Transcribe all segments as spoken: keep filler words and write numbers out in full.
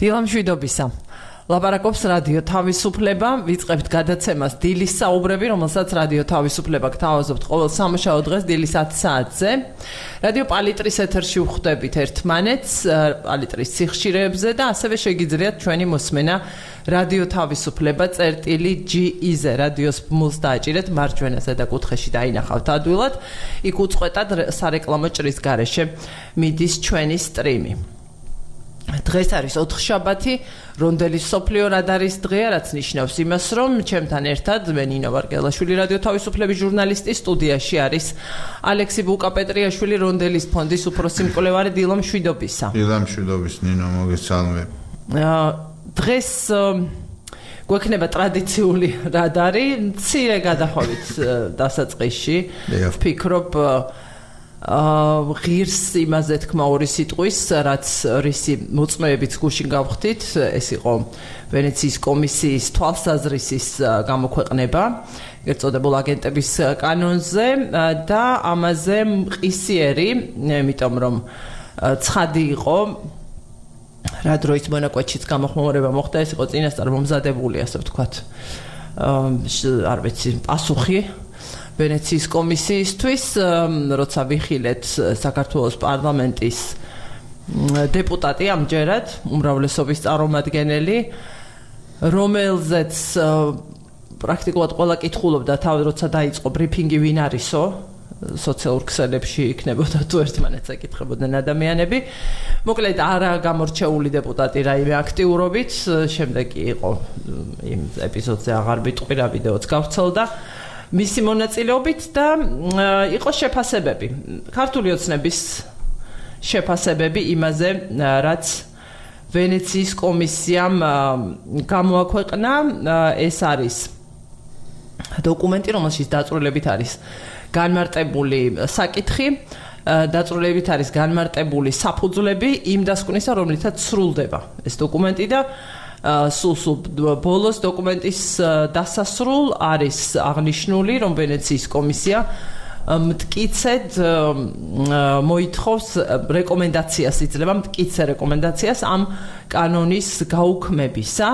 დილამშვიდობისა. ლაპარაკობს რადიო თავისუფლება, ვიწყებთ გადაცემას დილის საუბრები, რომელსაც რადიო თავისუფლება გთავაზობთ ყოველ სამუშაო დღეს დილის ათი საათზე. რადიო პალიტრის ეთერში ვხვდებით ერთმანეთს, პალიტრის სიხშირეებზე და ასევე შეგიძლიათ ჩვენი მოსმენა რადიო თავისუფლება წერტილი ჯი ი-ზე რადიოს ბმულს დააჭირეთ მარჯვენა ზედა კუთხეში დაინახავთ ადვილად. იქ უწყვეტად სარეკლამო ჭრის გარეშე მიდის ჩვენი სტრიმი. დღეს არის ოთხშაბათი, რონდელის სოფლიო რადარის დღეა, რაც ნიშნავს იმას, რომ ჩემთან ერთად მე ნინო ვარგელაშვილი რადიო თავისუფლების ჟურნალისტი, სტუდიაში არის ალექსი ბუკაპეტრიაშვილი, რონდელის ფონდის უფროსი მკვლევარი. დილამშვიდობისა. დილამშვიდობის ნინო, მოგესალმებ. დღეს გვექნება ტრადიციული რადარი, მცირე გადახვევით დასაწყისში. ვფიქრობ ღირს იმაზე თქმა ორი სიტყვის, რაც რისი მოწმეებით გუშინ გავხდით, ეს იყო ვენეციის კომისიის თვალსაზრისის გამოქვეყნება, ეგრეთ წოდებულ აგენტების კანონზე და ამაზე მყისიერი, იმიტომ რომ ცხადი იყო რა დროის მონაკვეთშიც გამოხმაურება მოხდა, ეს იყო წინასწარ მომზადებული, ასე ვთქვათ, არ ვიცი, პასუხი ვენეციის კომისიისთვის, როცა ვიხილეთ საქართველოს პარლამენტის დეპუტატი ამჯერად, უმრავლესობის წარმომადგენელი, რომელზეც პრაქტიკულად ყველა კითხულობდა თავი, როცა დაიწყო ბრიფინგი ვინ არისო, სოციალურ ქსელებში იქნებოდა თუ ერთმანეთს ეკითხებოდნენ ადამიანები. მოკლედ არა გამორჩეული დეპუტატი რაიმე აქტიურობით, შემდეგ იყო იმ ეპიზოდზე აღარ ვიტყვი, რა ვიდეოც გავრცელდა მისი მონაწილეობით და იყო შეფასებები, ქართული ოცნების შეფასებები იმაზე, რაც ვენეციის კომისიამ გამოაქვეყნა. ეს არის დოკუმენტი, რომელშიც დაწვრილებით არის განმარტებული საკითხი, დაწვრილებით არის განმარტებული საფუძვლები იმ დასკვნისა, რომლითაც სრულდება ეს დოკუმენტი და სულ-სულ ბოლოს დოკუმენტის დასასრულ არის აღნიშნული, რომ ვენეციის კომისია მტკიცედ მოითხოვს რეკომენდაციას, იძლევა მტკიცე რეკომენდაციას ამ კანონის გაუქმებისა,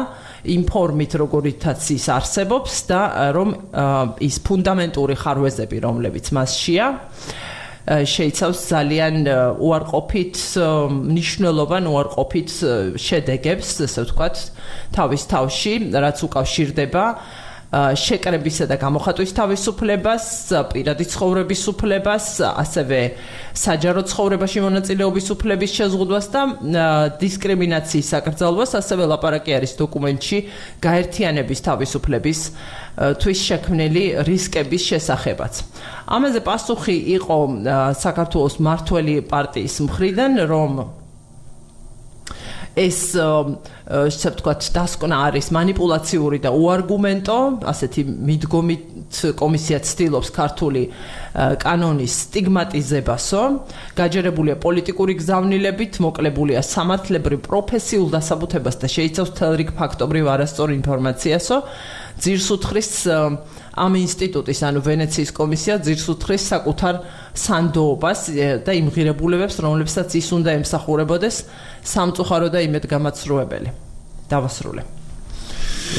იმ ფორმით, როგორითაც ის არსებობს და რომ ის ფუნდამენტური ხარვეზები, რომლებიც მასშია, შეიცავს ძალიან უარყოფით მნიშვნელოვან უარყოფით შედეგებს, ესე ვთქვათ, თავის თავში, რაც უკავშირდება შეკრებისა და გამოხატვის თავისუფლებას, პირადი ცხოვრების უფლებას, ასევე საჯარო ცხოვრებაში მონაწილეობის უფლების შეზღუდვას და დისკრიმინაციის საკრძალვას, ასევე ლაპარაკი არის დოკუმენტში გაერთიანების თავისუფლების თვის შექმნილი რისკების შესახებაც. ამაზე პასუხი იყო საქართველოს მმართველი პარტიის მხრიდან, რომ ეს ესე ვთქვათ დასკვნა არის манипуლაციური და უარგუმენტო, ასეთი მიდგომით კომისია ცდილობს ქართული კანონის სტიგმატიზებასო, გაჯერებულია პოლიტიკური გზავნილებით, მოკლებულია სამართლებრივ პროფესიულ დასაბუთებას და შეიცავს მთელ რიგ ფაქტობრივ არასწორ ინფორმაციასო. ძირს უთხრის ამ ინსტიტუტის, ანუ ვენეციის კომისია ძირს უთხრის საკუთარ სანდოობას და იმ ღირებულებებს, რომლებსაც ის უნდა ემსახურებოდეს სამწუხარო და იმედგამაცრუებელი. დავასრულე.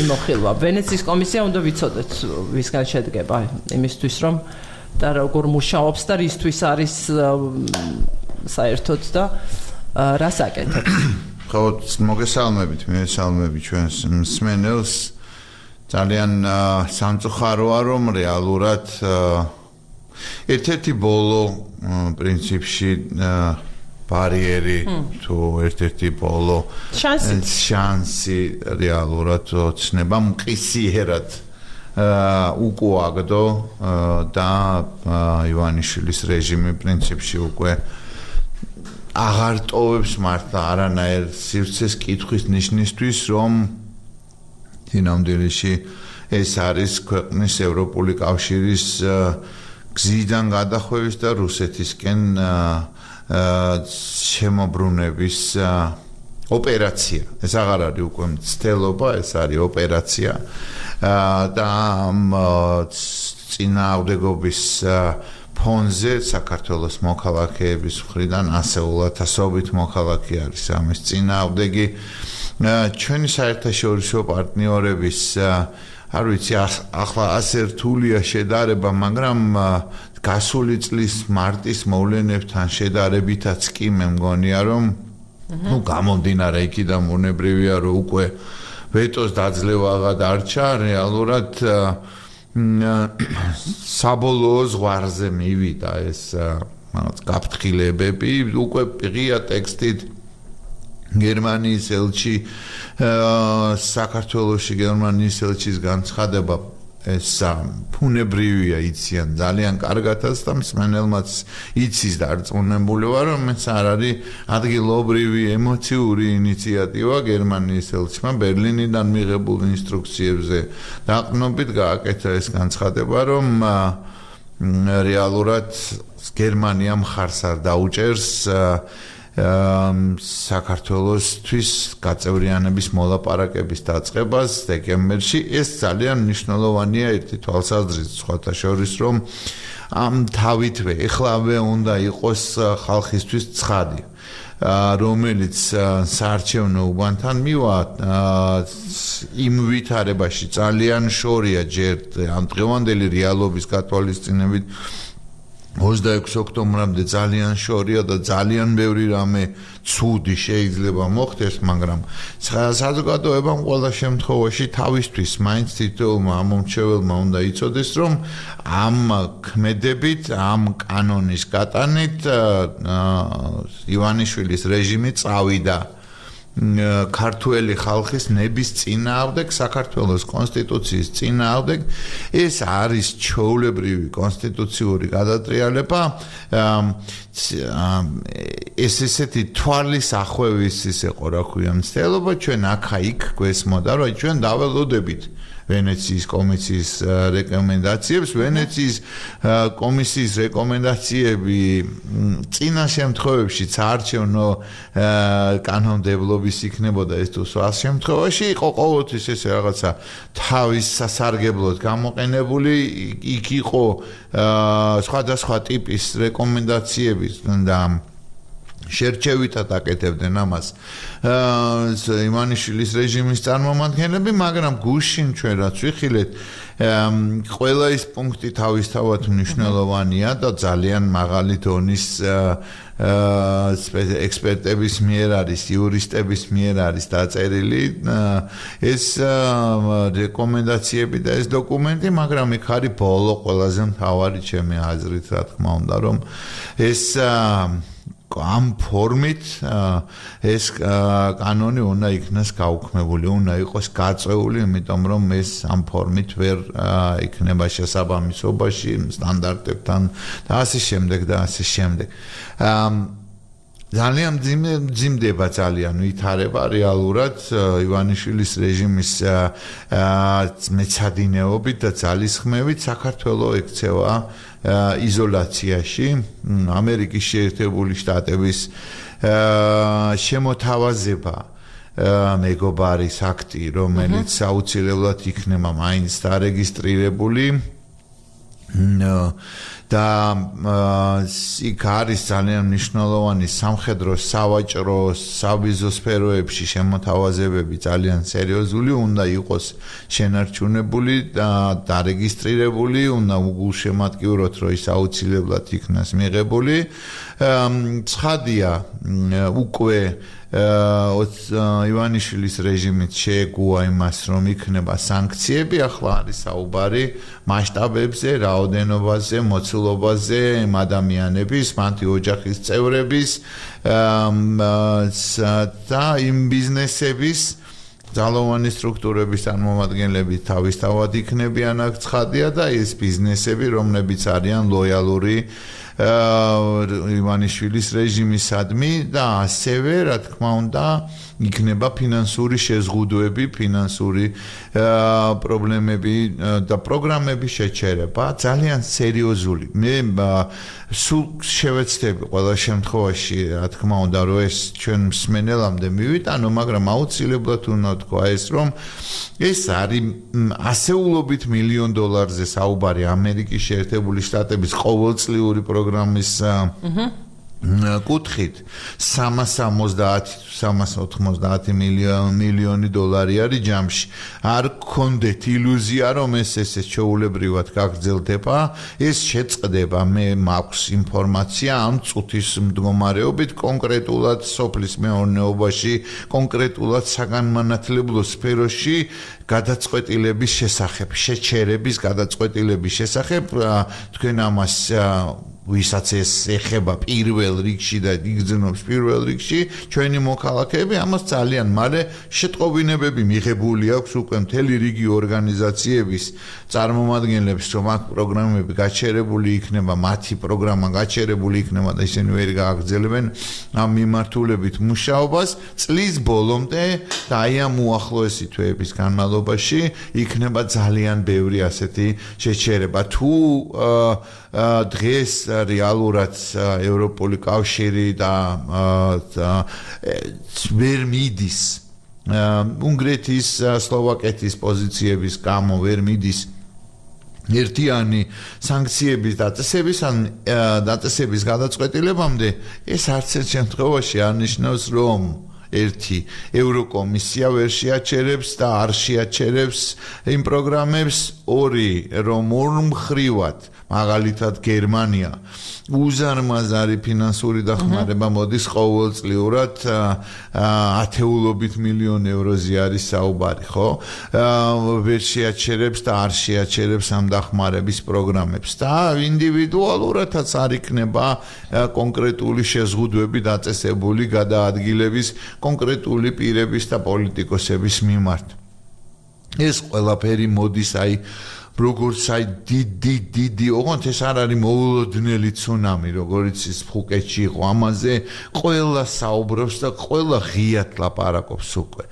იმოხილვა. ვენეციის კომისია უნდა ვიცოდეთ, ვისგან შედგება, იმისთვის რომ და როგორ მუშაობს და რისთვის არის საერთოდ და რას აკეთებს. ხო, მოგესალმებით, მოგესალმები ჩვენს მსმენელს. ძალიან სამწუხაროა, რომ რეალურად ერთ-ერთი ბოლო პრინციპში ბარიერი თუ ერთ-ერთი ბოლო შანსი რეალურად ოცნება მყისიერად უკუაგდო და ივანიშვილის რეჟიმი პრინციპში უკვე აღარ ტოვებს მართლა არანაირ სივრცეს კითხვის ნიშნისთვის, რომ ნამდვილში ეს არის ქვეყნის ევროპული კავშირის გზიდან გადახვევის და რუსეთისკენ შემოbrunების ოპერაცია. ეს აღარ არის უკვე მცდელობა, ეს არის ოპერაცია და წინააღმდეგობის ფონზე საქართველოს მოქალაქეების მხრიდან ასეულათასობით მოქალაქე არის ამის წინააღმდეგი ჩვენი საერთაშორისო პარტნიორების არ ვიცი ახლა ასე რთულია შედარება, მაგრამ გასული წლის მარტის მოვლენებთან შედარებითაც კი მე მგონია რომ ну გამომდინარე იქიდან უნებრივია რომ უკვე ვეტოს დაძლევა დარჩა რეალურად საბოლოო ზღვარზე მივიდა ეს გაფრთხილებები უკვე ღია ტექსტით გერმანიის ელჩი საქართველოში გერმანიის ელჩის განცხადება ეს ფუნებრივია იციან ძალიან კარგათაც და მსმენელმაც იცის დარწმუნებული ვარ რომ ეს არ არის ადგილობრივი ემოციური ინიციატივა გერმანიის ელჩმა ბერლინიდან მიღებულ ინსტრუქციებზე დაყრდნობით გააკეთა ეს განცხადება რომ რეალურად გერმანია მხარს არ დაუჭერს საქართველოსთვის გაწევრიანების მოლაპარაკების დაწყებას დეკემბერში ეს ძალიან მნიშვნელოვანია ერთი თვალსაზრისით სხვათა შორის რომ ამ თავითვე ეხლავე უნდა იყოს ხალხისთვის ცხადი რომელიც საარჩევნო უბანთან მივა იმ ვითარებაში ძალიან შორია ჯერ ამ დღევანდელი რეალობის გათვალისწინებით ოცდაექვსი ოქტომბრამდე ძალიან შორია და ძალიან ბევრი რამე ცუდი შეიძლება მოხდეს, მაგრამ საზოგადოებამ ყველა შემთხვევაში თავისთვის მაინც თითოეულმა ამომრჩეველმა უნდა იცოდეს, რომ ამ ქმედებით, ამ კანონის გატანით ივანიშვილის რეჟიმი წავიდა ქართველი ხალხის ნების წინააღმდეგ საქართველოს კონსტიტუციის წინააღმდეგ ეს არის ჩვეულებრივი კონსტიტუციური გადატრიალება ეს ესეთი თვალის ახვევის ისე ყო რა ქვია მცდელობა ჩვენ აქა-იქ გვესმოდა რომ ჩვენ დაველოდებით ვენეციის კომისიის რეკომენდაციებს ვენეციის კომისიის რეკომენდაციები წინა შემთხვევებში საარჩევნო კანონმდებლობის იქნებოდა ეს თუ სხვა შემთხვევაში იყო ყოველთვის ეს რაღაცა თავის სასარგებლოდ გამოყენებული იქ იყო სხვადასხვა ტიპის რეკომენდაციები და შერჩევითად აკეთებდნენ ამას ივანიშვილის რეჟიმის წარმომადგენლები, მაგრამ გუშინ ჩვენ რაც ვიხილეთ, ყველა ის პუნქტი თავისთავად მნიშვნელოვანია და ძალიან მაღალი დონის ექსპერტების მიერ არის, იურისტების მიერ არის დაწერილი ეს რეკომენდაციები და ეს დოკუმენტი, მაგრამ იქ არის ბოლო ყველაზე მთავარი ჩემი აზრით, რა თქმა უნდა, რომ ეს ამ ფორმით ეს კანონი უნდა იქნას გაუქმებული, უნდა იყოს გაწეული, იმიტომ რომ ეს ამ ფორმით ვერ იქნება შესაბამისობაში სტანდარტებთან და ასე შემდეგ და ასე შემდეგ. ძალიან მძიმდება ძალიან ვითარება რეალურად ივანიშვილის რეჟიმის მეცადინეობით და ძალისხმევით საქართველოს ექცევა იზოლაციაში ამერიკის შეერთებული შტატების შემოთავაზება მეგობარის აქტი რომელიც აუცილებლად იქნება მაინც დარეგისტრირებული და იქ არის ძალიან მნიშვნელოვანი სამხედრო სავაჭრო სავიზო სფეროებში შემოთავაზებები ძალიან სერიოზული უნდა იყოს შენარჩუნებული და დარეგისტრირებული უნდა უგულშემატკივროთ რომ ის აუცილებლად იქნას მიღებული ცხადია უკვე ივანიშვილის რეჟიმით შეეგუა იმას რომ იქნება სანქციები ახლა არის საუბარი მასშტაბებზე რაოდენობაზე მოცულობაზე ადამიანების მათი ოჯახის წევრების და იმ ბიზნესების ძალოვანი სტრუქტურების წარმომადგენლები თავისთავად იქნებიან აქ ცხადია და ეს ბიზნესები რომლებიც არიან ლოიალური ივანიშვილის რეჟიმისადმი და ასევე რა თქმა უნდა იქნება ფინანსური შეზღუდვები, ფინანსური პრობლემები და პროგრამების შეჩერება ძალიან სერიოზული. მე სულ შევეცდები ყველა შემთხვევაში რა თქმა უნდა რომ ეს ჩვენ მსმენელამდე მივიტანო, მაგრამ აუცილებლად უნდა თქვა ეს რომ ეს არის ასეულობით მილიონ დოლარზე საუბარი ამერიკის შეერთებული შტატების ყოველწლიური პროგრამის კუთხით სამას ორმოცდაათი მილიონი დოლარი არის ჯამში. არ გქონდეთ ილუზია, რომ ეს ესე ჩვეულებრივად გაგრძელდება, ეს შეწყდება. მე მაქვს ინფორმაცია ამ წუთის მდგომარეობით კონკრეტულად სოფლის მეურნეობაში, კონკრეტულად საგანმანათლებლო სფეროში გადაწყვეტილების შესახებ, შეჩერების გადაწყვეტილების შესახებ. თქვენ ამას ვისაც ეს ეხება პირველ რიგში და იგრძნობს პირველ რიგში ჩვენი მოქალაქეები ამას ძალიან მალე შეტყობინებები მიღებული აქვს უკვე მთელი რიგი ორგანიზაციების წარმომადგენლებს რომ აქ პროგრამები გაჩერებული იქნება მათი პროგრამა გაჩერებული იქნება და ისინი ვერ გააგრძელებენ ამ მიმართულებით მუშაობას წლის ბოლომდე და აი ამ უახლოესი თვეების განმავლობაში იქნება ძალიან ბევრი ასეთი შეჩერება თუ დღეს რეალურად ევროპული კავშირი და ვერ მიდის უნგრეთის სლოვაკეთის პოზიციების გამო ვერ მიდის ერთიანი სანქციების დაწესების ან დაწესების გადაწყვეტილებამდე ეს არც ერთ შემთხვევაში არ ნიშნავს რომ ერთი ევროკომისია ვერ შეაჩერებს და არ შეაჩერებს იმ პროგრამებს ორი რომ ორმხრივად მაგალითად გერმანია უზარმაზარი ფინანსური დახმარება მოდის ყოველწლიურად ათეულობით მილიონ ევროზე არის საუბარი ხო ვერ შეაჩერებს და არ შეაჩერებს ამ დახმარების პროგრამებს და ინდივიდუალურადაც არ იქნება კონკრეტული შეზღუდვები დაწესებული გადაადგილების კონკრეტული პირების და პოლიტიკოსების მიმართ ეს ყველაფერი მოდის აი როგორც აი დიდი დიდი ოღონდ ეს არ არის მოულოდნელი ცუნამი როგორც ის ფუკეტში იყო ამაზე ყველა საუბრობს და ყველა ღიად ლაპარაკობს უკვე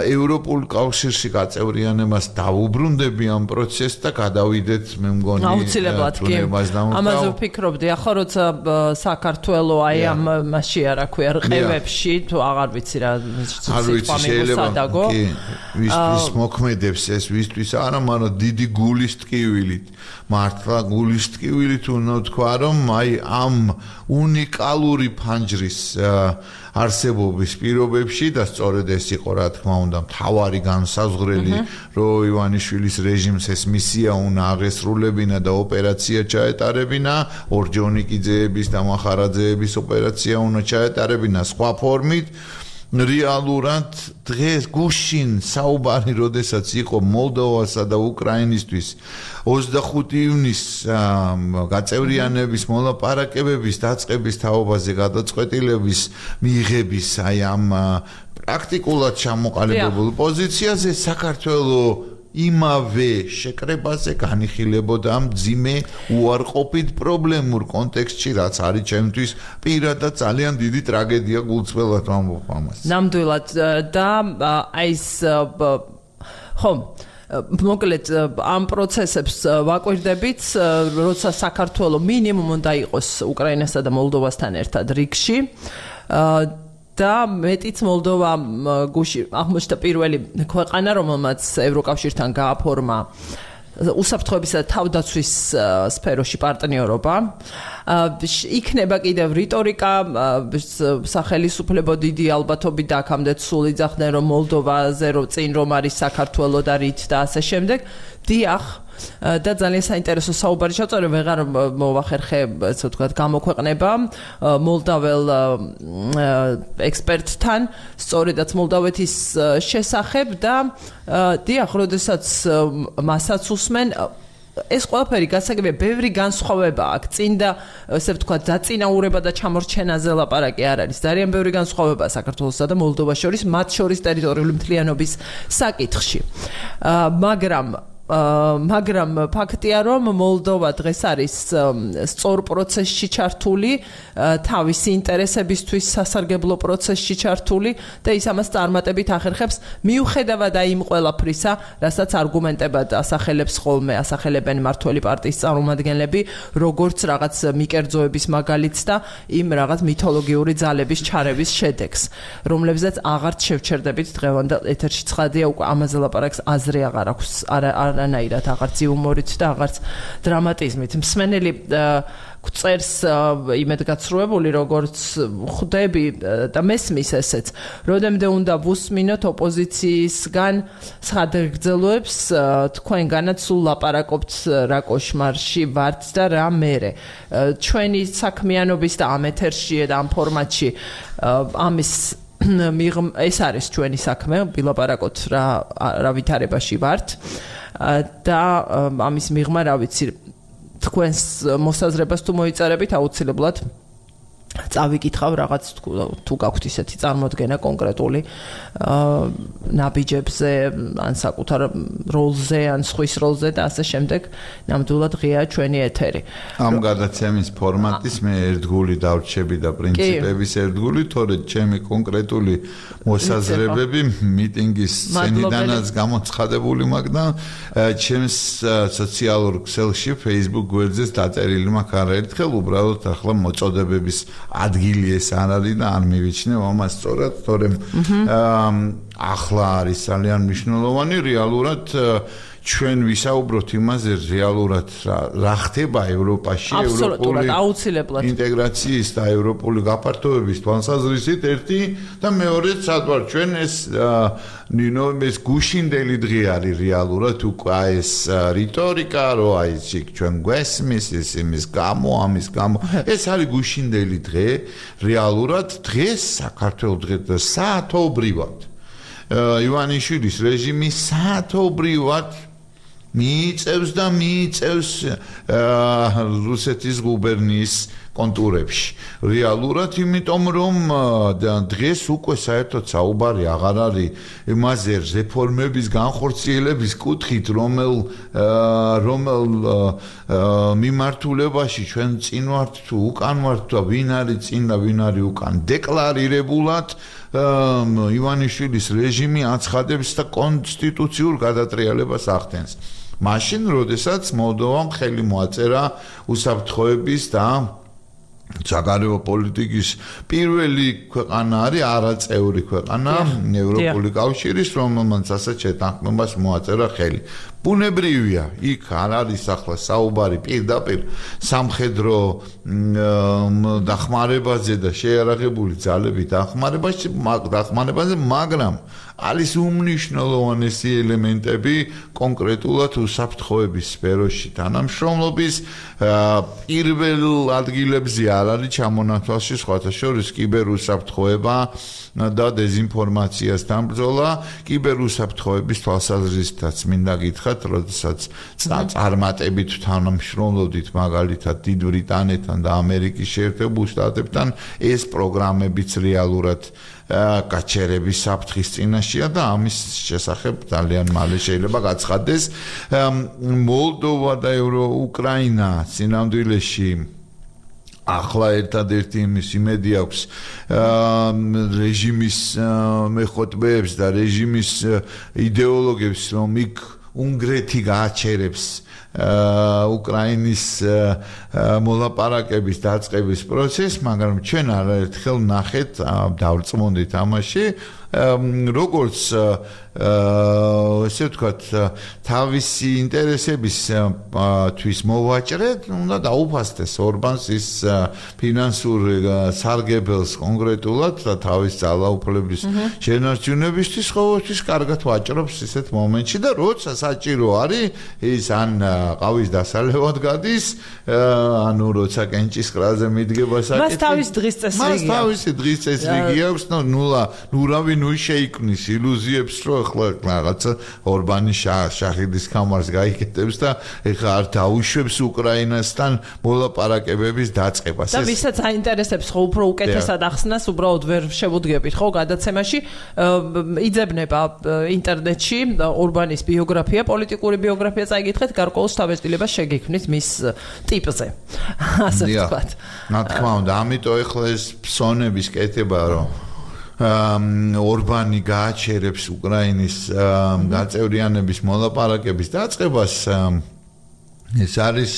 ევროპულ კავშირში გაწევრიანებას დაუბრუნდები ამ პროცესს და გადავიდეთ მე მგონი აუცილებლად კი ამაზე ვფიქრობდი ახლა როცა საქართველოს აი ამ მასში არა ქვია რყევებში თუ აღარ ვიცი რა არ ვიცი შეიძლება კი ვისთვის მოქმედებს ეს ვისთვის არა მაგრამ დიდი გულის ტკივილით მართლა გულის ტკივილით უნდა თქვა რომ აი ამ უნიკალური ფანჯრის არსებობის პირობებში და სწორედ ეს იყო რა თქმა უნდა მთავარი განსაზღვრელი რომ ივანიშვილის რეჟიმს ეს მისია უნდა აღესრულებინა და ოპერაცია ჩაეტარებინა ორჯონიკიძეების და მახარაძეების ოპერაცია უნდა ჩაეტარებინა სხვა ფორმით რეალურად დღეს გუშინ საუბარი როდესაც იყო მოლდოვასა და უკრაინისთვის ოცდახუთი ივნისს გაწევრიანების მოლაპარაკებების დაწყების თაობაზე გადაწყვეტილების მიღების აი ამ პრაქტიკულად ჩამოყალიბებულ პოზიციაზე საქართველოს იმავე შეკრებაზე განიხილებოდა მძიმე უარყოფით პრობლემურ კონტექსტში რაც არის ჩემთვის პირადად ძალიან დიდი ტრაგედია გულწრფელად ვამბობ ამას. ნამდვილად და აი ეს ხო მოკლედ ამ პროცესებს ვაკვირდებით როცა საქართველოს მინიმუმ უნდა იყოს უკრაინასა და მოლდოვასთან ერთად რიგში და მეტიც მოლდოვა გუში აღმოჩნდა პირველი ქვეყანა რომელმაც ევროკავშირთან გააფორმა უსაფრთხოებისა და თავდაცვის სფეროში პარტნიორობა იქნება კიდევ რიტორიკა სახელისუფლებო დიდი ალბათობით და აქამდე სულ იძახდნენ რომ მოლდოვაზე რომ წინ რომ არის საქართველოს და რით და ასე შემდეგ დიახ და ძალიან საინტერესო საუბარი ჩავწერე ვეღარ მოვახერხე ასე ვთქვათ გამოქვეყნება მოლდაվել ექსპერტთან სწორედაც მოლდავეთის შესახებ და დიახ როდესაც მასაც უსმენ ეს ყველაფერი გასაგებია ბევრი განსხვავება აქვს წინ და ასე ვთქვათ დაწინაურება და ჩამორჩენაზე ლაპარაკი არ არის ძალიან ბევრი განსხვავება საქართველოსა და მოლდოვას შორის მათ შორის ტერიტორიული მთლიანობის საკითხში მაგრამ მაგრამ ფაქტია რომ მოლდოვა დღეს არის სწორ პროცესში ჩართული თავისი ინტერესებისთვის სასარგებლო პროცესში ჩართული და ის ამას წარმატებით ახერხებს მიუხედავად აი იმ ყველაფრისა რასაც არგუმენტებად ასახელებს ხოლმე ასახელებენ მმართველი პარტიის წარმომადგენლები როგორც რაღაც მიკერძოების მაგალითს და იმ რაღაც მითოლოგიური ძალების ჩარევის შედეგს რომლებზეც აღარც შევჩერდებით დღევანდელ ეთერში ცხადია უკვე ამაზე ლაპარაკს აზრი აღარ აქვს არ არანაირად აღარც იუმორით და აღარც დრამატიზმით. მსმენელი წერს იმედგაცრუებული, როგორც ხვდები და მესმის ესეც, როდემდე უნდა ვუსმინოთ ოპოზიციისგან სხადგრძელოებს, თქვენგანაც სულ ლაპარაკობთ რა კოშმარში ვართ და რა მერე. ჩვენი საქმიანობის და ამ ეთერში და ამ ფორმატში ამის ეს არის ჩვენი საქმე, ვილაპარაკოთ რა რა ვითარებაში ვართ და ამის მიღმა რა ვიცი თქვენს მოსაზრებას თუ მოიწერებით აუცილებლად წავიკითხავ რაღაც თუ გაქვთ ისეთი წარმოდგენა კონკრეტული ნაბიჯებზე ან საკუთარ როლზე ან სხვის როლზე და ასე შემდეგ ნამდვილად ღია ჩვენი ეთერი. ამ გადაცემის ფორმატის მე ერთგული დავრჩები და პრინციპების ერთგული, თორედ ჩემი კონკრეტული მოსაზრებები მიტინგის სცენიდანაც გამოცხადებული მაქვს და ჩემს სოციალურ ქსელში Facebook გვერდზე დაწერილი მაქვს არაერთხელ, უბრალოდ ახლა მოწოდებების ადგილი ეს არ არის და არ მივიჩნევ ამას სწორად, თორემ ახლა არის ძალიან მნიშვნელოვანი რეალურად ჩვენ ვისაუბროთ იმაზე რეალურად რა ხდება ევროპაში, ევროპული აუცილებლად ინტეგრაციის და ევროპული გაფართოების თვალსაზრისით ერთი და მეორეც სადვარ ჩვენ ეს ნინო ეს გუშინდელი დღე არის რეალურად უკვე ეს რიტორიკა რო აი ჩვენ გვესმის ის იმის გამო ამის გამო ეს არის გუშინდელი დღე რეალურად დღეს საქართველოს დღე და საათობრივად ივანიშვილის რეჟიმი საათობრივად მიიწევს და მიიწევს რუსეთის გუბერნიის კონტურებში. რეალურად იმიტომ რომ დღეს უკვე საერთოდ საუბარი აღარ არის იმაზე რეფორმების განხორციელების კუთხით, რომელ რომელ მიმართულებაში ჩვენ წინ ვართ თუ უკან ვართ და ვინ არის წინ და ვინ არის უკან. დეკლარირებულად ივანიშვილის რეჟიმი აცხადებს და კონსტიტუციურ გადატრიალებას ახდენს. მაშინ, როდესაც მოლდოვამ ხელი მოაწერა უსაფრთხოების და საგარეო პოლიტიკის პირველი ქვეყანა არის არაწევრი ქვეყანა ევროპული კავშირის, რომელმაც ასეთ შეთანხმებას მოაწერა ხელი. ბუნებრივია, იქ არ არის ახლა საუბარი პირდაპირ სამხედრო დახმარებაზე და შეიარაღებული ძალებით დახმარებაში, დახმარებაზე, მაგრამ არის უმნიშვნელოვანესი ელემენტები კონკრეტულად უსაფრთხოების სფეროში თანამშრომლობის პირველ ადგილებზე არ არის ჩამონათვალში სხვათა შორის კიბერუსაფრთხოება და დეзинფორმაციასთან ბრძოლა. კიბერუსაფრთხოების თვალსაზრისითაც მინდა გითხრათ, როდესაც წარმატებით თანამშრომლობდით მაგალითად დიდ ბრიტანეთთან და ამერიკის შეერთებულ შტატებთან, ეს პროგრამებიც რეალურად გაჩერების საფრთხის წინაშეა და ამის შესახებ ძალიან მალე შეიძლება გაცხადდეს. მოლდოვა და უკრაინა სინამდვილეში ახლა ერთადერთი იმის იმედი აქვს რეჟიმის მეხოთბეებს და რეჟიმის იდეოლოგებს, რომ იქ უნგრეთი გააჩერებს უკრაინის მოლაპარაკების დაწყების პროცესს, მაგრამ ჩვენ არაერთხელ ნახეთ დავრწმუნდით ამაში, როგორც ესე ვთქვათ, თავისი ინტერესების თვის მოვაჭრეთ, უნდა დაუფასდეს ორბანს ის ფინანსური სარგებელს კონკრეტულად და თავის ძალაუფლების შენარჩუნებისთვის ყოველთვის კარგად ვაჭრობს ისეთ მომენტში და როცა საჭირო არის, ის ან ყავის დასალევად გადის, ანუ როცა კენჭის კრაზე მიდგება საკითხი. მას თავის დღის წესრიგი აქვს. მას თავისი დღის წესრიგი აქვს, ნულა, ნურავი ნუ შეიქმნის ილუზიებს, რომ ახლა რაღაცა ორბანი შაჰიდის კამარს გაიკეთებს და ეხლა არ დაუშვებს უკრაინასთან მოლაპარაკებების დაწყებას. და ვისაც აინტერესებს ხო უფრო უკეთესად ახსნას, უბრალოდ ვერ შევუდგებით ხო გადაცემაში, იძებნება ინტერნეტში ორბანის ბიოგრაფია, პოლიტიკური ბიოგრაფია წაიკითხეთ, გარკვეულ შთაბეჭდილებას შეგექმნით მის ტიპზე. ასე ვთქვათ. რა თქმა უნდა, ამიტომ ეხლა ეს ფსონების კეთება, რომ ორბანი გააჩერებს უკრაინის გაწევრიანების მოლაპარაკების დაწყებას, ეს არის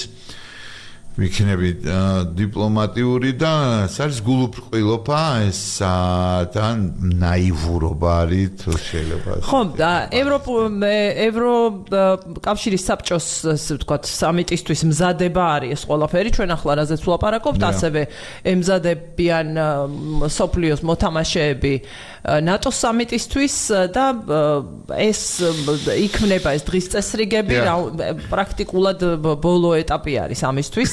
ვიქნები დიპლომატიური და ეს არის გულუბრყვილობა ეს თან ნაივურობა არის თუ შეიძლება ხო და ევროპ ევროკავშირის საბჭოს ასე ვთქვათ სამიტისთვის მზადება არის ეს ყველაფერი ჩვენ ახლა რაზეც ვლაპარაკობთ ასევე ემზადებიან სოფლიოს მოთამაშეები ნატოს სამიტისთვის და ეს იქმნება ეს დღის წესრიგები პრაქტიკულად ბოლო ეტაპი არის ამისთვის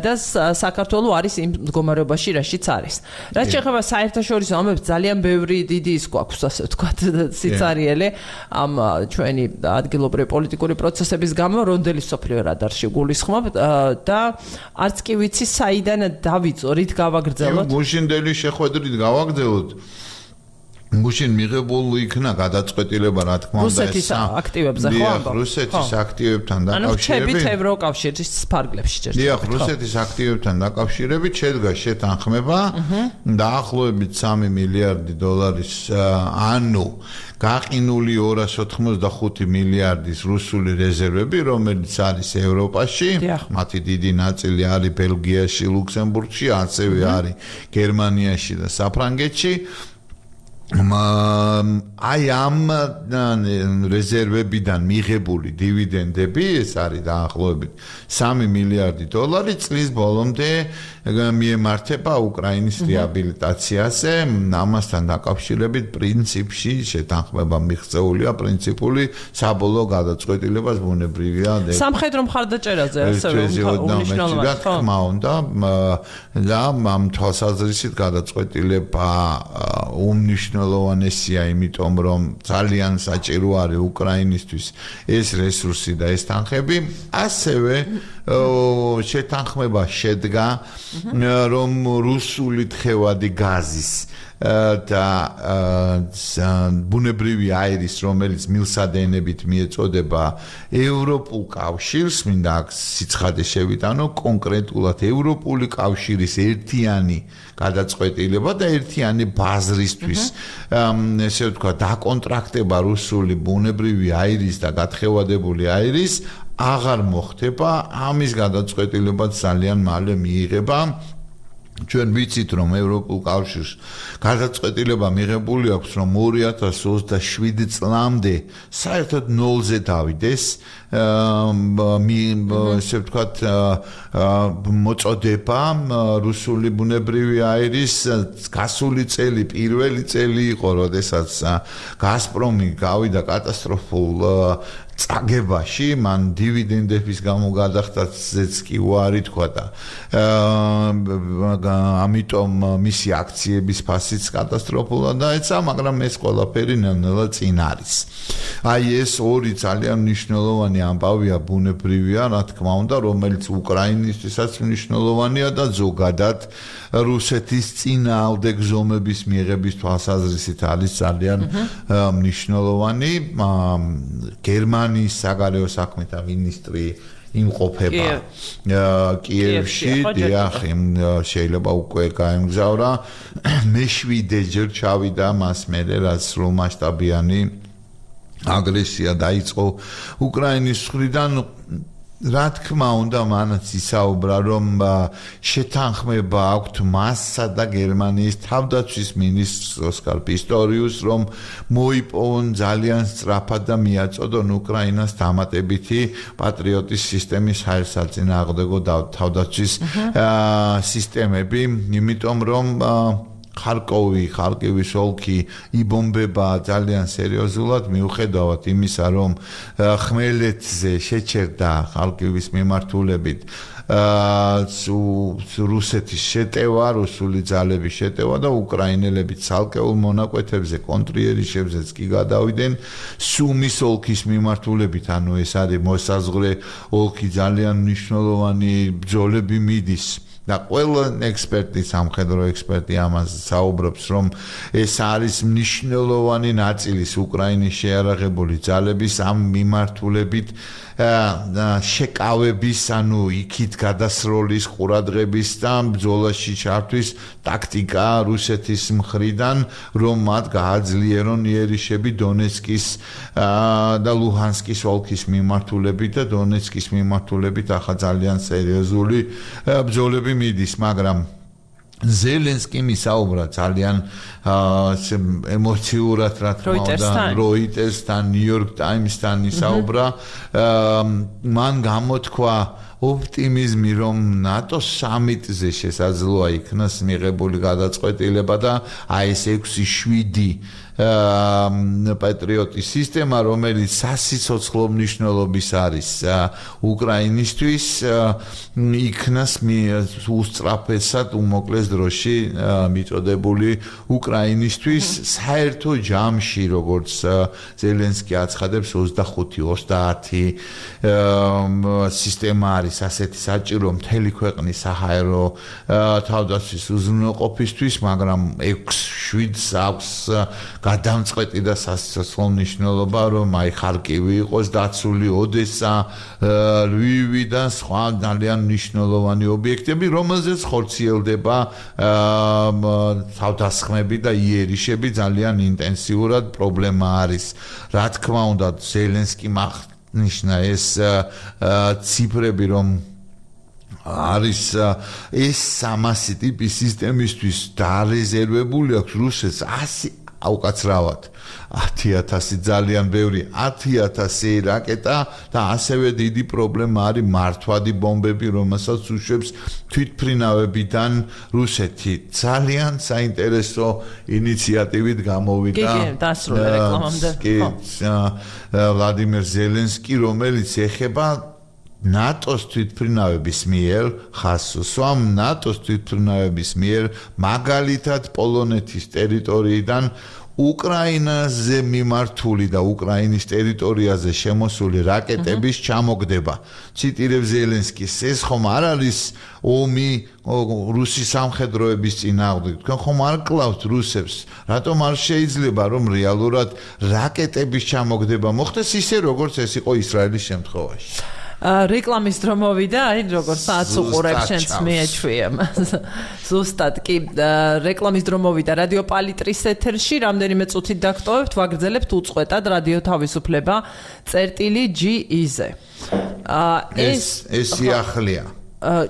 და საქართველო არის იმ მდგომარეობაში რაშიც არის. რაც შეეხება საერთაშორისო ამბებს ძალიან ბევრი დიდი ის გვაქვს ასე ვთქვათ სიცარიელე ამ ჩვენი ადგილობრივი პოლიტიკური პროცესების გამო რონდელი სოფლიო რადარში გულისხმობ და არც კი ვიცი საიდან დავიწყო რით გავაგრძელოთ. გუშინდელი შეხვედრით გავაგრძელოთ. გუშინ მიღებულ იქნა გადაწყვეტილება რა თქმა უნდა რუსეთის აქტივებზე ხო ამბობ რუსეთის აქტივებთან დაკავშირებით ანუ ევროკავშირის ფარგლებში ჯერ დიახ რუსეთის აქტივებთან დაკავშირებით შედგა შეთანხმება დაახლოებით სამი მილიარდი დოლარის ანუ გაყინული ორას ოთხმოცდახუთი მილიარდის რუსული რეზერვები რომელიც არის ევროპაში მათი დიდი ნაწილი არის ბელგიაში ლუქსემბურგში ასევე არის გერმანიაში და საფრანგეთში აი ამ რეზერვებიდან მიღებული დივიდენდები ეს არის დაახლოებით სამი მილიარდი დოლარი წლის ბოლომდე მიემართება უკრაინის რეაბილიტაციაზე ამასთან დაკავშირებით პრინციპში შეთანხმება მიღწეულია პრინციპული საბოლოო გადაწყვეტილებას ბუნებრივია სამხედრო მხარდაჭერაზე ასევე უნიშნელობა თქმა უნდა და ამ თვალსაზრისით გადაწყვეტილება უმნიშვნელოვანესია იმიტომ რომ ძალიან საჭირო არის უკრაინისთვის ეს რესურსი და ეს თანხები ასევე შეთანხმება შედგა რომ რუსული თხევადი გაზის და ბუნებრივი აირის რომელიც მილსადენებით მიეწოდება ევროპულ კავშირს მინდა აქ სიცხადე შევიტანო კონკრეტულად ევროპული კავშირის ერთიანი გადაწყვეტილება და ერთიანი ბაზრისთვის ესე ვთქვა დაკონტრაქტება რუსული ბუნებრივი აირის და გათხევადებული აირის აღარ მოხდება ამის გადაწყვეტილება ძალიან მალე მიიღება ჩვენ ვიცით რომ ევროპულ კავშირს გადაწყვეტილება მიღებული აქვს რომ ორი ათას ოცდაშვიდი წლამდე საერთოდ ნოლზე დავიდეს ესე ვთქვათ მოწოდება რუსული ბუნებრივი აირის გასული წელი პირველი წელი იყო როდესაც გაზპრომი გავიდა კატასტროფულ წაგებაში მან დივიდენდების გამო გადახდასაც კი უარი თქვა და ამიტომ მისი აქციების ფასიც კატასტროფულად დაეცა მაგრამ ეს ყველაფერი ნელ-ნელა წინ არის აი ეს ორი ძალიან მნიშვნელოვანი ამბავია ბუნებრივია რა თქმა უნდა რომელიც უკრაინისთვისაც მნიშვნელოვანია და ზოგადად რუსეთის წინააღმდეგ ზომების მიღების თვალსაზრისით არის ძალიან მნიშვნელოვანი გერმანიის საგარეო საქმეთა მინისტრი იმყოფება კიევში დიახ შეიძლება უკვე გაემგზავრა მეშვიდე ჯერ ჩავიდა მას მერე რაც სრულმასშტაბიანი აგრესია დაიწყო უკრაინის მხრიდან რა თქმა უნდა მანაც ისაუბრა რომ შეთანხმება აქვთ მასსა და გერმანიის თავდაცვის მინისტრს ოსკარ პისტორიუსს რომ მოიპოვონ ძალიან სწრაფად და მიაწოდონ უკრაინას დამატებითი პატრიოტის სისტემის საერთაშორისო თავდაცვის სისტემები იმიტომ რომ ხარკოვი, ხარკივის ოლქი იბომბება ძალიან სერიოზულად მიუხედავად იმისა, რომ ხმელეთზე შეჩერდა ხარკივის მიმართულებით რუსეთის შეტევა, რუსული ძალების შეტევა და უკრაინელები ცალკეულ მონაკვეთებზე კონტრიერიშებზეც კი გადავიდნენ სუმის ოლქის მიმართულებით, ანუ ეს არის მოსაზღვრე ოლქი ძალიან მნიშვნელოვანი ბრძოლები მიდის და ყველა ექსპერტი, სამხედრო ექსპერტი ამას საუბრობს, რომ ეს არის მნიშვნელოვანი ნაწილის უკრაინის შეიარაღებული ძალების ამ მიმართულებით შეკავების, ანუ იქით გადასროლის, ყურადღების და ბრძოლაში ჩართვის ტაქტიკა რუსეთის მხრიდან, რომ მათ გააძლიერონ იერიშები დონეცკის და ლუჰანსკის ოლქის მიმართულებით და დონეცკის მიმართულებით ახლა ძალიან სერიოზული ბრძოლები მიდის, მაგრამ ზელენსკიმ ისაუბრა ძალიან ემოციურად, რა თქმა უნდა, როიტერსთან, ნიუ-იორკ ტაიმსთან ისაუბრა. მან გამოთქვა ოპტიმიზმი, რომ ნატოს სამიტზე შესაძლოა იქნას მიღებული გადაწყვეტილება და აი ეს ექვსი შვიდი პატრიოტის სისტემა, რომელიც სასიცოცხლო მნიშვნელობის არის უკრაინისთვის, იქნას უსწრაფესად უმოკლეს დროში მიწოდებული უკრაინისთვის საერთო ჯამში, როგორც ზელენსკი აცხადებს, ოცდახუთი ოცდაათი სისტემა არის ასეთი საჭირო მთელი ქვეყნის საჰაერო თავდაცვის უზრუნველყოფისთვის, მაგრამ ექვსი შვიდს აქვს გადამწყვეტი და სასიცოცხლო მნიშვნელობა, რომ აი ხარკივი იყოს დაცული, ოდესა, ლვივი და სხვა ძალიან მნიშვნელოვანი ობიექტები, რომელზეც ხორციელდება თავდასხმები და იერიშები ძალიან ინტენსიურად პრობლემა არის. რა თქმა უნდა, ზელენსკიმ აღნიშნა ეს ციფრები, რომ არის ეს სამასი ტიპის სისტემისთვის დარეზერვებული აქვს რუსეთს ასი აუკაცრავად ათი ათასი ძალიან ბევრი ათი ათასი რაკეტა და ასევე დიდი პრობლემა არის მართვადი ბომბები, რომელსაც უშვებს თვითმფრინავებიდან რუსეთი. ძალიან საინტერესო ინიციატივით გამოვიდა. კი, დასრულდა რეკლამამდე. კი, ვლადიმერ ზელენსკი, რომელიც ეხება ნატოს თვითმფრინავების მიერ ხასოს, ამ ნატოს თვითმფრინავების მიერ მაგალითად პოლონეთის ტერიტორიიდან უკრაინაზე მიმართული და უკრაინის ტერიტორიაზე შემოსული რაკეტების ჩამოგდება. ციტირებს ზელენსკის, ეს ხომ არ არის ომი რუსი სამხედროების წინააღმდეგ. თქვენ ხომ არ კლავთ რუსებს? რატომ არ შეიძლება რომ რეალურად რაკეტების ჩამოგდება მოხდეს ისე როგორც ეს იყო ისრაელის შემთხვევაში? რეკლამის დრო მოვიდა, აი როგორ საათს უყურებ შენც მიეჩვია. ზუსტად კი რეკლამის დრო მოვიდა რადიო პალიტრის ეთერში, რამდენიმე წუთით დაგტოვებთ, ვაგრძელებთ უწყვეტად რადიო თავისუფლება წერტილი ჯი ი-ზე. ეს ეს სიახლეა.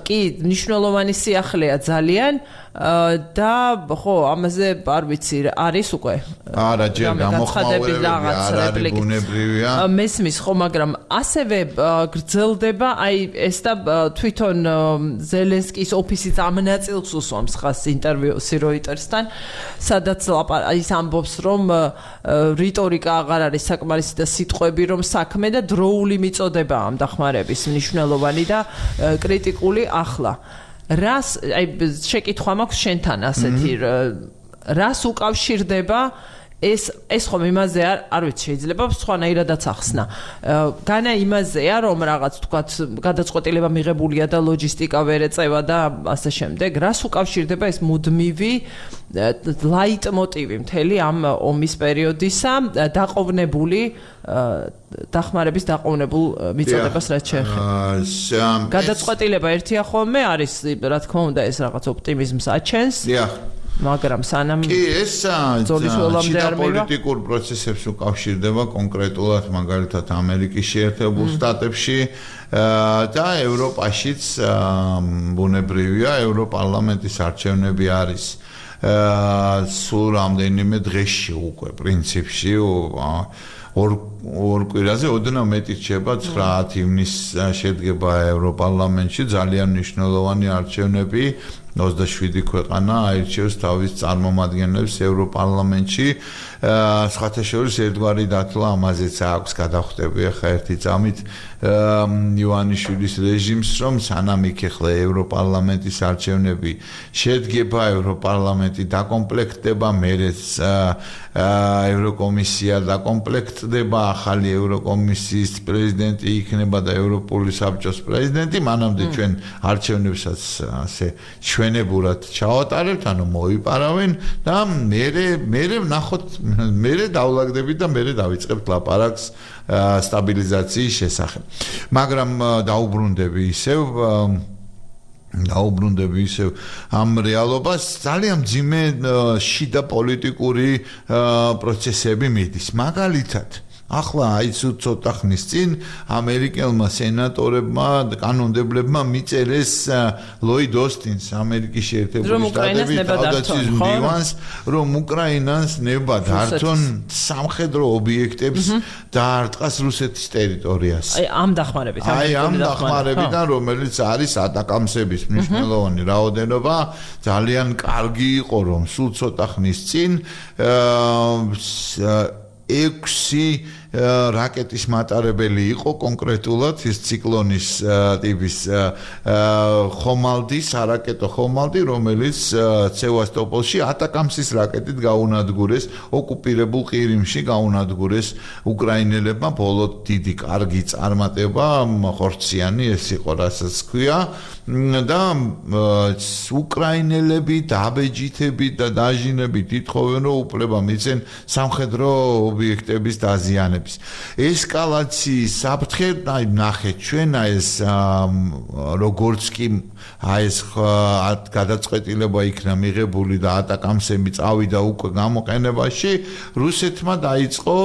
კი, მნიშვნელოვანი სიახლეა ძალიან და ხო, ამაზე არ ვიცი, არის უკვე? არა, ჯერ გამოხმაურები არ არის ბუნებრივია. მესმის ხო, მაგრამ ასევე გრძელდება, აი ეს და თვითონ ზელენსკის ოფისიც ამ ნაწილს უსვამს ხას ინტერვიუსი როიტერსთან, სადაც ის ამბობს, რომ რიტორიკა აღარ არის საკმარისი და სიტყვები რომ საქმე და დროული მიწოდება ამ დახმარების მნიშვნელოვანი და კრიტიკული ახლა. რას აი შეკითხვა მაქვს შენთან ასეთი რას უკავშირდება ეს ეს ხომ იმაზე არ არ ვიცი შეიძლება სხვანაირადაც ახსნა. განა იმაზეა რომ რაღაც თქვათ გადაწყვეტილება მიღებულია და ლოჯისტიკა ვერ ეწევა და ასე შემდეგ. რას უკავშირდება ეს მუდმივი ლაიტმოტივი მთელი ამ ომის პერიოდისა დაყოვნებული დახმარების დაყოვნებულ მიწოდებას რაც შეეხება. გადაწყვეტილება ერთია ხოლმე არის რა თქმა უნდა ეს რაღაც ოპტიმიზმს აჩენს. მაგრამ სანამ კი ეს პოლიტიკურ პროცესებს უკავშირდება კონკრეტულად მაგალითად ამერიკის შეერთებულ შტატებში და ევროპაშიც ბუნებრივია ევროპარლამენტის არჩევნები არის სულ რამდენიმე დღეში უკვე პრინციპში ორ ორ კვირაზე ოდნავ მეტი რჩება ცხრა ივნისს შედგება ევროპარლამენტში ძალიან მნიშვნელოვანი არჩევნები ოცდაშვიდი ქვეყანა აირჩევს თავის წარმომადგენლებს ევროპარლამენტში. სხვათა შორის ერთგვარი დათვლა ამაზეც აქვს გადახვდები ახლა ერთი წამით ივანიშვილის რეჟიმს, რომ სანამ იქ ახლა ევროპარლამენტის არჩევნები შედგება, ევროპარლამენტი დაკომპლექტდება, მერეც ევროკომისია დაკომპლექტდება, ახალი ევროკომისიის პრეზიდენტი იქნება და ევროპული საბჭოს პრეზიდენტი, მანამდე ჩვენ არჩევნებსაც ასე ჩვენებურად ჩავატარებთ, ანუ მოიპარავენ და მერე მერე ვნახოთ, მერე დავლაგდებით და მერე დავიწყებთ ლაპარაკს სტაბილიზაციის შესახებ. მაგრამ დაუბრუნდები ისევ დაუბრუნდები ისევ ამ რეალობას ძალიან მძიმე შიდა პოლიტიკური პროცესები მიდის. მაგალითად ახლა აი ცოტა ხნის წინ ამერიკელმა სენატორებმა კანონმდებლებმა მიწერეს ლოიდ ოსტინს ამერიკის შეერთებული შტატების თავდაცვის მდივანს, რომ უკრაინას ნება დართონ სამხედრო ობიექტებს დაარტყას რუსეთის ტერიტორიას. აი ამ დახმარებით, აი ამ დახმარებიდან, რომელიც არის ატაკამსების მნიშვნელოვანი რაოდენობა, ძალიან კარგი იყო, რომ სულ ცოტა ხნის წინ ექვსი რაკეტის მატარებელი იყო კონკრეტულად ის ციკლონის ტიპის ხომალდი, სარაკეტო ხომალდი, რომელიც სევასტოპოლში ატაკამსის რაკეტით გაუნადგურეს ოკუპირებულ ყირიმში გაუნადგურეს უკრაინელებმა. ბოლო დიდი კარგი წარმატება, ხორციანი ეს იყო, რასაც ქვია და უკრაინელები დაბეჯითებით და დაჟინებით ითხოვენ, რომ უფლება მიცენ სამხედრო ობიექტების დაზიანებას. ესკალაციის საფრთხე, აი ნახეთ ჩვენ ეს როგორც კი აი ეს გადაწყვეტილება იქნა მიღებული და ატაკამსები წავიდა უკვე გამოყენებაში, რუსეთმა დაიწყო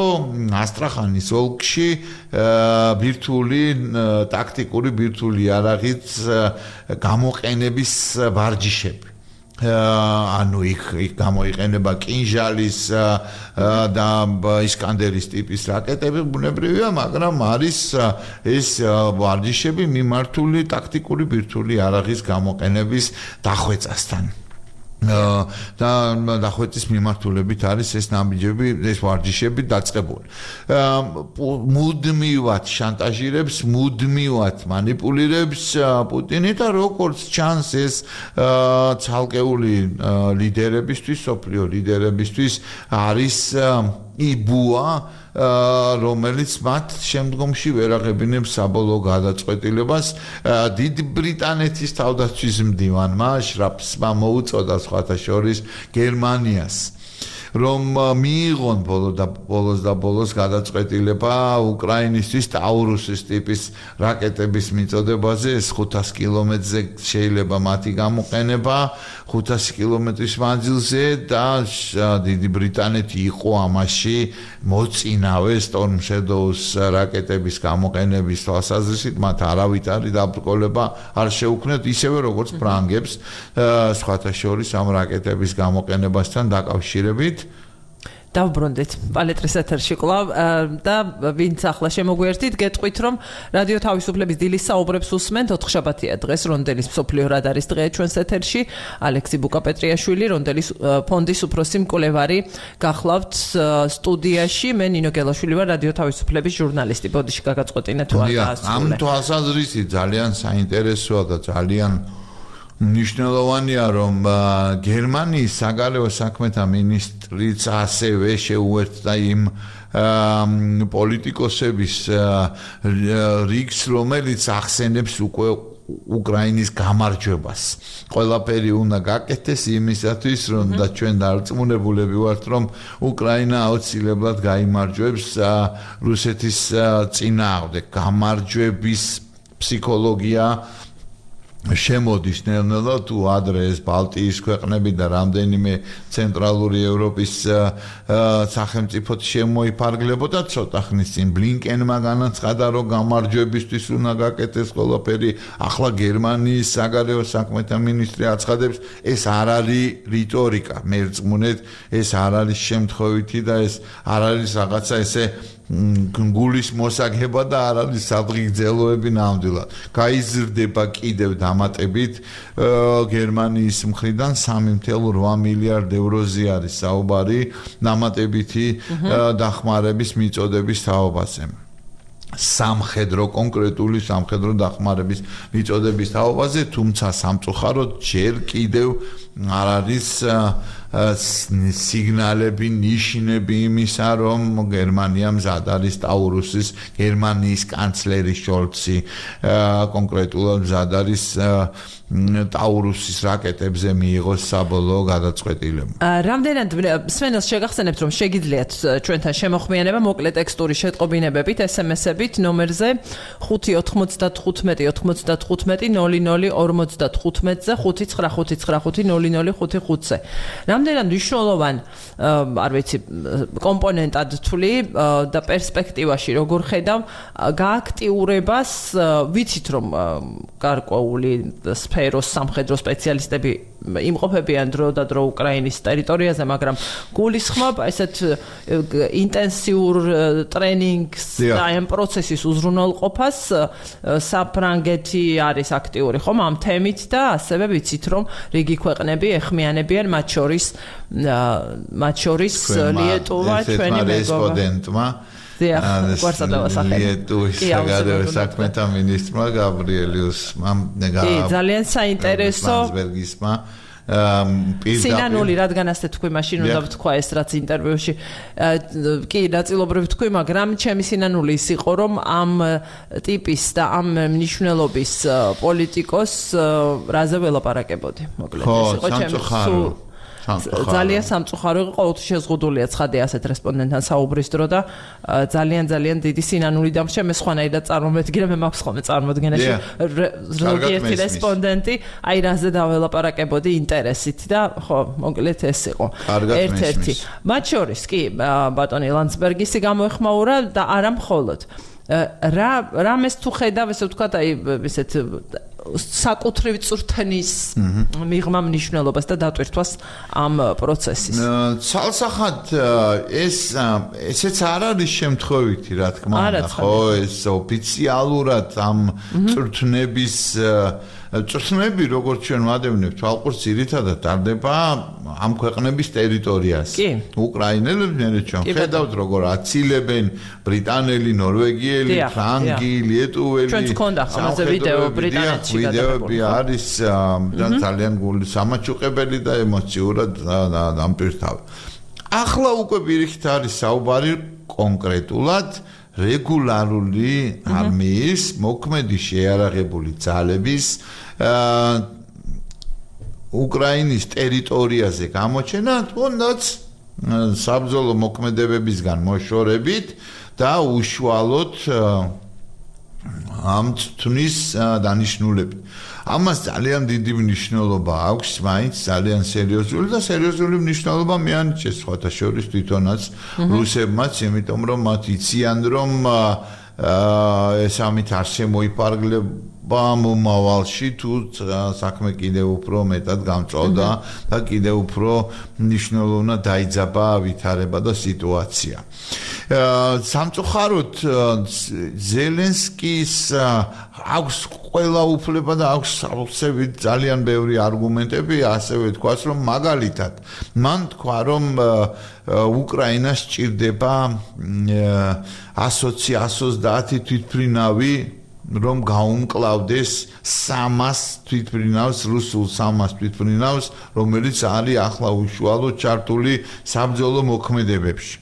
ასტრახანის ოლქში ბირთვული ტაქტიკური ბირთვული იარაღით გამოყენების ვარჯიშები. ანუ იქ იქ გამოიყენება კინჟალის და ისკანდერის ტიპის რაკეტები, ბუნებრივია, მაგრამ არის ეს ვარჯიშები მიმართული ტაქტიკური ბირთვული იარაღის გამოყენების დახვეწასთან. და დახვეწის მიმართულებით არის ეს ნაბიჯები, ეს ვარჯიშები დაწყებული. მუდმივად შანტაჟირებს, მუდმივად მანიპულირებს პუტინი და როგორც ჩანს ეს ცალკეული ლიდერებისთვის, სოფლიო ლიდერებისთვის არის იბუა, რომელიც მათ შემდგომში ვერ აღებინებს საბოლოო გადაწყვეტილებას. დიდი ბრიტანეთის თავდაცვის მდივანმა შრაფსმა მოუწოდა სხვათა შორის გერმანიას, რომ მიიღონ ბოლო და ბოლოს და ბოლოს გადაწყვეტილება უკრაინისთვის ტაურუსის ტიპის რაკეტების მიწოდებაზე. ეს ხუთას კილომეტრზე შეიძლება მათი გამოყენება, ხუთასი კილომეტრის მანძილზე და დიდი ბრიტანეთი იყო ამაში მოწინავე Storm Shadows რაკეტების გამოყენების თვალსაზრისით, მათ არავითარი დაბრკოლება არ შეუქმნათ, ისევე როგორც ფრანგებს სხვათა შორის ამ რაკეტების გამოყენებასთან დაკავშირებით. დავბრუნდით პალეტრის ეთერში კვლავ და ვინც ახლა შემოგვიერთით, გეტყვით, რომ რადიო თავისუფლების დილის საუბრებს უსმენთ. ოთხშაბათია დღეს, რონდელის მსოფლიო რადარის დღეა ჩვენს ეთერში. ალექსი ბუკაპეტრიაშვილი, რონდელის ფონდის უფროსი მკვლევარი გახლავთ სტუდიაში. მე ნინო გელაშვილი ვარ, რადიო თავისუფლების ჟურნალისტი. ბოდიში გაგაწყვეტინე თუ არ დაასრულე. ამ თვალსაზრისით ძალიან საინტერესოა და ძალიან მნიშვნელოვანია, რომ გერმანიის საგარეო საქმეთა მინისტრიც ასევე შეუერთდა იმ პოლიტიკოსების რიგს, რომელიც ახსენებს უკვე უკრაინის გამარჯვებას. ყველაფერი უნდა გაკეთდეს იმისათვის, რომ და ჩვენ დარწმუნებულები ვართ, რომ უკრაინა აუცილებლად გაიმარჯვებს რუსეთის წინააღმდეგ. გამარჯვების ფსიქოლოგია შემოდის ნელ-ნელა თუ ადრე ეს ბალტიის ქვეყნები და რამდენიმე ცენტრალური ევროპის სახელმწიფოც შემოიფარგლებოდა. ცოტა ხნის წინ ბლინკენმა განაცხადა, რომ გამარჯვებისთვის უნდა გაკეთდეს ყველაფერი. ახლა გერმანიის საგარეო საქმეთა მინისტრი აცხადებს, ეს არ არის რიტორიკა, მერწმუნეთ, ეს არ არის შემთხვევითი და ეს არ არის რაღაცა ესე გულის მოსაგება და არ არის სადღი გძელოები ნამდვილად. გაიზრდება კიდევ და დამატებით გერმანიის მხრიდან სამი ათეული ორი მილიარდ ევროზე არის საუბარი დამატებითი დახმარების მიწოდების თაობაზე. სამხედრო კონკრეტული სამხედრო დახმარების მიწოდების თაობაზე, თუმცა სამწუხაროდ ჯერ კიდევ არ არის სიგნალები, ნიშნები იმისა, რომ გერმანია მზად არის ტაურუსის, გერმანიის კანცლერი შოლცი კონკრეტულად მზად არის ტაურუსის რაკეტებზე მიიღოს საბოლოო გადაწყვეტილება. რამდენად სვენელს შეგახსენებთ, რომ შეგიძლიათ ჩვენთან შემოხმიანება მოკლე ტექსტური შეტყობინებებით, ესემესებით ნომერზე ხუთი ოთხმოცდათხუთმეტი ოთხმოცდათხუთმეტი ნული ნული ორმოცდათხუთმეტზე ხუთი ცხრა ხუთი ცხრა ხუთი ნული ნული ხუთი ხუთზე. რამდენად მნიშვნელოვან არ ვიცი კომპონენტად თვლი და პერსპექტივაში როგორ ხედავ გააქტიურებას, ვიცით რომ გარკვეული სფეროს სამხედრო სპეციალისტები იმყოფებიან დრო და დრო უკრაინის ტერიტორიაზე, მაგრამ გულისხმობ ესეთ ინტენსიურ ტრენინგს და ამ პროცესის უზრუნველყოფას საფრანგეთი არის აქტიური ხომ ამ თემით და ასევე ვიცით რომ რიგი ქვეყნები ეხმიანებიან მათ შორის მათ შორის ლიეტუვა ჩვენი მეგობრებმა ლიეტუვის საგარეო საქმეთა მინისტრმა გაბრიელიუსმა ძალიან საინტერესო ლანდსბერგისმა სინანული რადგან ასე თქვი მაშინ უნდა ვთქვა ეს რაც ინტერვიუში კი ნაწილობრივ თქვი, მაგრამ ჩემი სინანული ის იყო რომ ამ ტიპის და ამ მნიშვნელობის პოლიტიკოს რაზე ველაპარაკებოდი მოკლედ ეს იყო ჩემი ძალიან სამწუხარო იყო, ყოველთვის შეზღუდულია ცხადია ასეთ რესპონდენტთან საუბრის დრო და ძალიან ძალიან დიდი სინანული დამრჩა მე სხვანაირად წარმომედგინე, მე მაქვს ხოლმე წარმოდგენაში ზოგიერთი რესპონდენტი აი რაზე დაველაპარაკებოდი ინტერესით და ხო მოკლედ ეს იყო ერთ-ერთი მათ შორის კი ბატონი ლანდსბერგისი გამოეხმაურა და არა მხოლოდ რა რამეს თუ ხედავ ესე ვთქვათ აი ესეთ საკუთრივ წვრთნის მიღმა მნიშვნელობას და დატვირთვას ამ პროცესის. ცალსახად ეს ესეც არ არის შემთხვევითი, რა თქმა უნდა, ხო, ეს ოფიციალურად ამ წვრთნების წვრთნები, როგორც ჩვენ ვადევნებთ, ალყურს ძირითადად ტარდება ამ ქვეყნების ტერიტორიაზე. უკრაინელები მე ჩვენ ხედავთ, როგორ აცილებენ ბრიტანელი, ნორვეგიელი, ფრანგი, ლიეტუველი. ჩვენც გქონდა ამაზე ვიდეო ბრიტანეთში ვიდეოები არის ძალიან გული სამაჩუყებელი და ემოციურად დამპირთავი. ახლა უკვე პირიქით არის საუბარი კონკრეტულად რეგულარული არმიის მოქმედი შეიარაღებული ძალების უკრაინის ტერიტორიაზე გამოჩენა, თუნდაც საბრძოლო მოქმედებებისგან მოშორებით და უშუალოდ ამ წვნის დანიშნულებით. ამას ძალიან დიდი მნიშვნელობა აქვს, მაინც ძალიან სერიოზული და სერიოზული მნიშვნელობა მეანიჭეს სხვათა შორის თვითონაც რუსებმაც, იმიტომ რომ მათ იციან რომ ეს ამით არ შემოიფარგლება მომავალში თუ საქმე კიდევ უფრო მეტად გამწვავდა და კიდევ უფრო მნიშვნელოვნად დაიძაბა ვითარება და სიტუაცია. სამწუხაროდ ზელენსკის აქვს ყველა უფლება და აქვს სავსებით ძალიან ბევრი არგუმენტები, ასევე თქვას რომ მაგალითად მან თქვა რომ უკრაინას სჭირდება ათი თვითმფრინავი რომ გაუმკლავდეს სამას თვითმფრინავს, რუსულ სამას თვითმფრინავს, რომელიც არის ახლა უშუალოდ ჩართული საბრძოლო მოქმედებებში.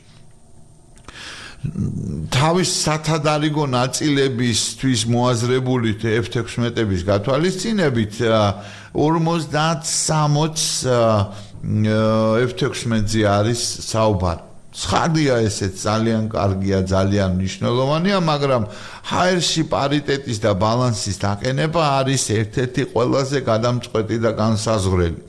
თავის სათადარიგო ნაწილებისთვის მოაზრებული ეფ ექვსმეტების გათვალისწინებით ორმოცდასამოც ეფ ექვსმეტზე არის საუბარი. ცხადია ესეც ძალიან კარგია, ძალიან მნიშვნელოვანია, მაგრამ ჰაერში პარიტეტის და ბალანსის დაყენება არის ერთ-ერთი ყველაზე გადამწყვეტი და განსაზღვრელი.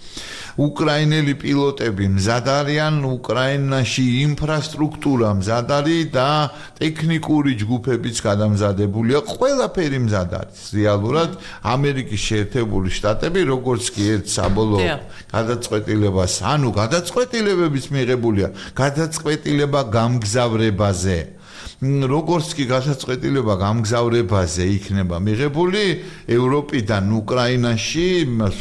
უკრაინელი პილოტები მზად არიან, უკრაინაში ინფრასტრუქტურა მზად არის და ტექნიკური ჯგუფებიც გადამზადებულია, ყველაფერი მზად არის. რეალურად ამერიკის შეერთებული შტატები, როგორც კი ერთ საბოლოო გადაწყვეტილებას, ანუ გადაწყვეტილებების მიღებულია, გადაწყვეტილება გამგზავრებაზე. როგორც კი გადაწყვეტილება გამგზავრებაზე იქნება მიღებული ევროპიდან უკრაინაში,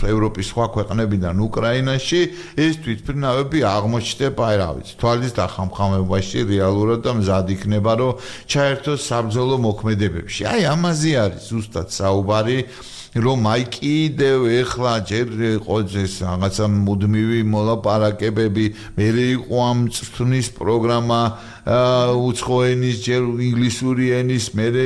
ევროპის სხვა ქვეყნებიდან უკრაინაში, ეს თვითმფრინავები აღმოჩნდება, აი რა ვიცი, თვალის დახამხამებაში რეალურად და მზად იქნება, რომ ჩაერთოს საბრძოლო მოქმედებებში. აი ამაზე არის ზუსტად საუბარი. რომ აი კიდევ ეხლა ჯერ იყო ეს რაღაცა მუდმივი მოლაპარაკებები, მერე იყო ამ წვრთნის პროგრამა უცხო ენის, ჯერ ინგლისური ენის, მერე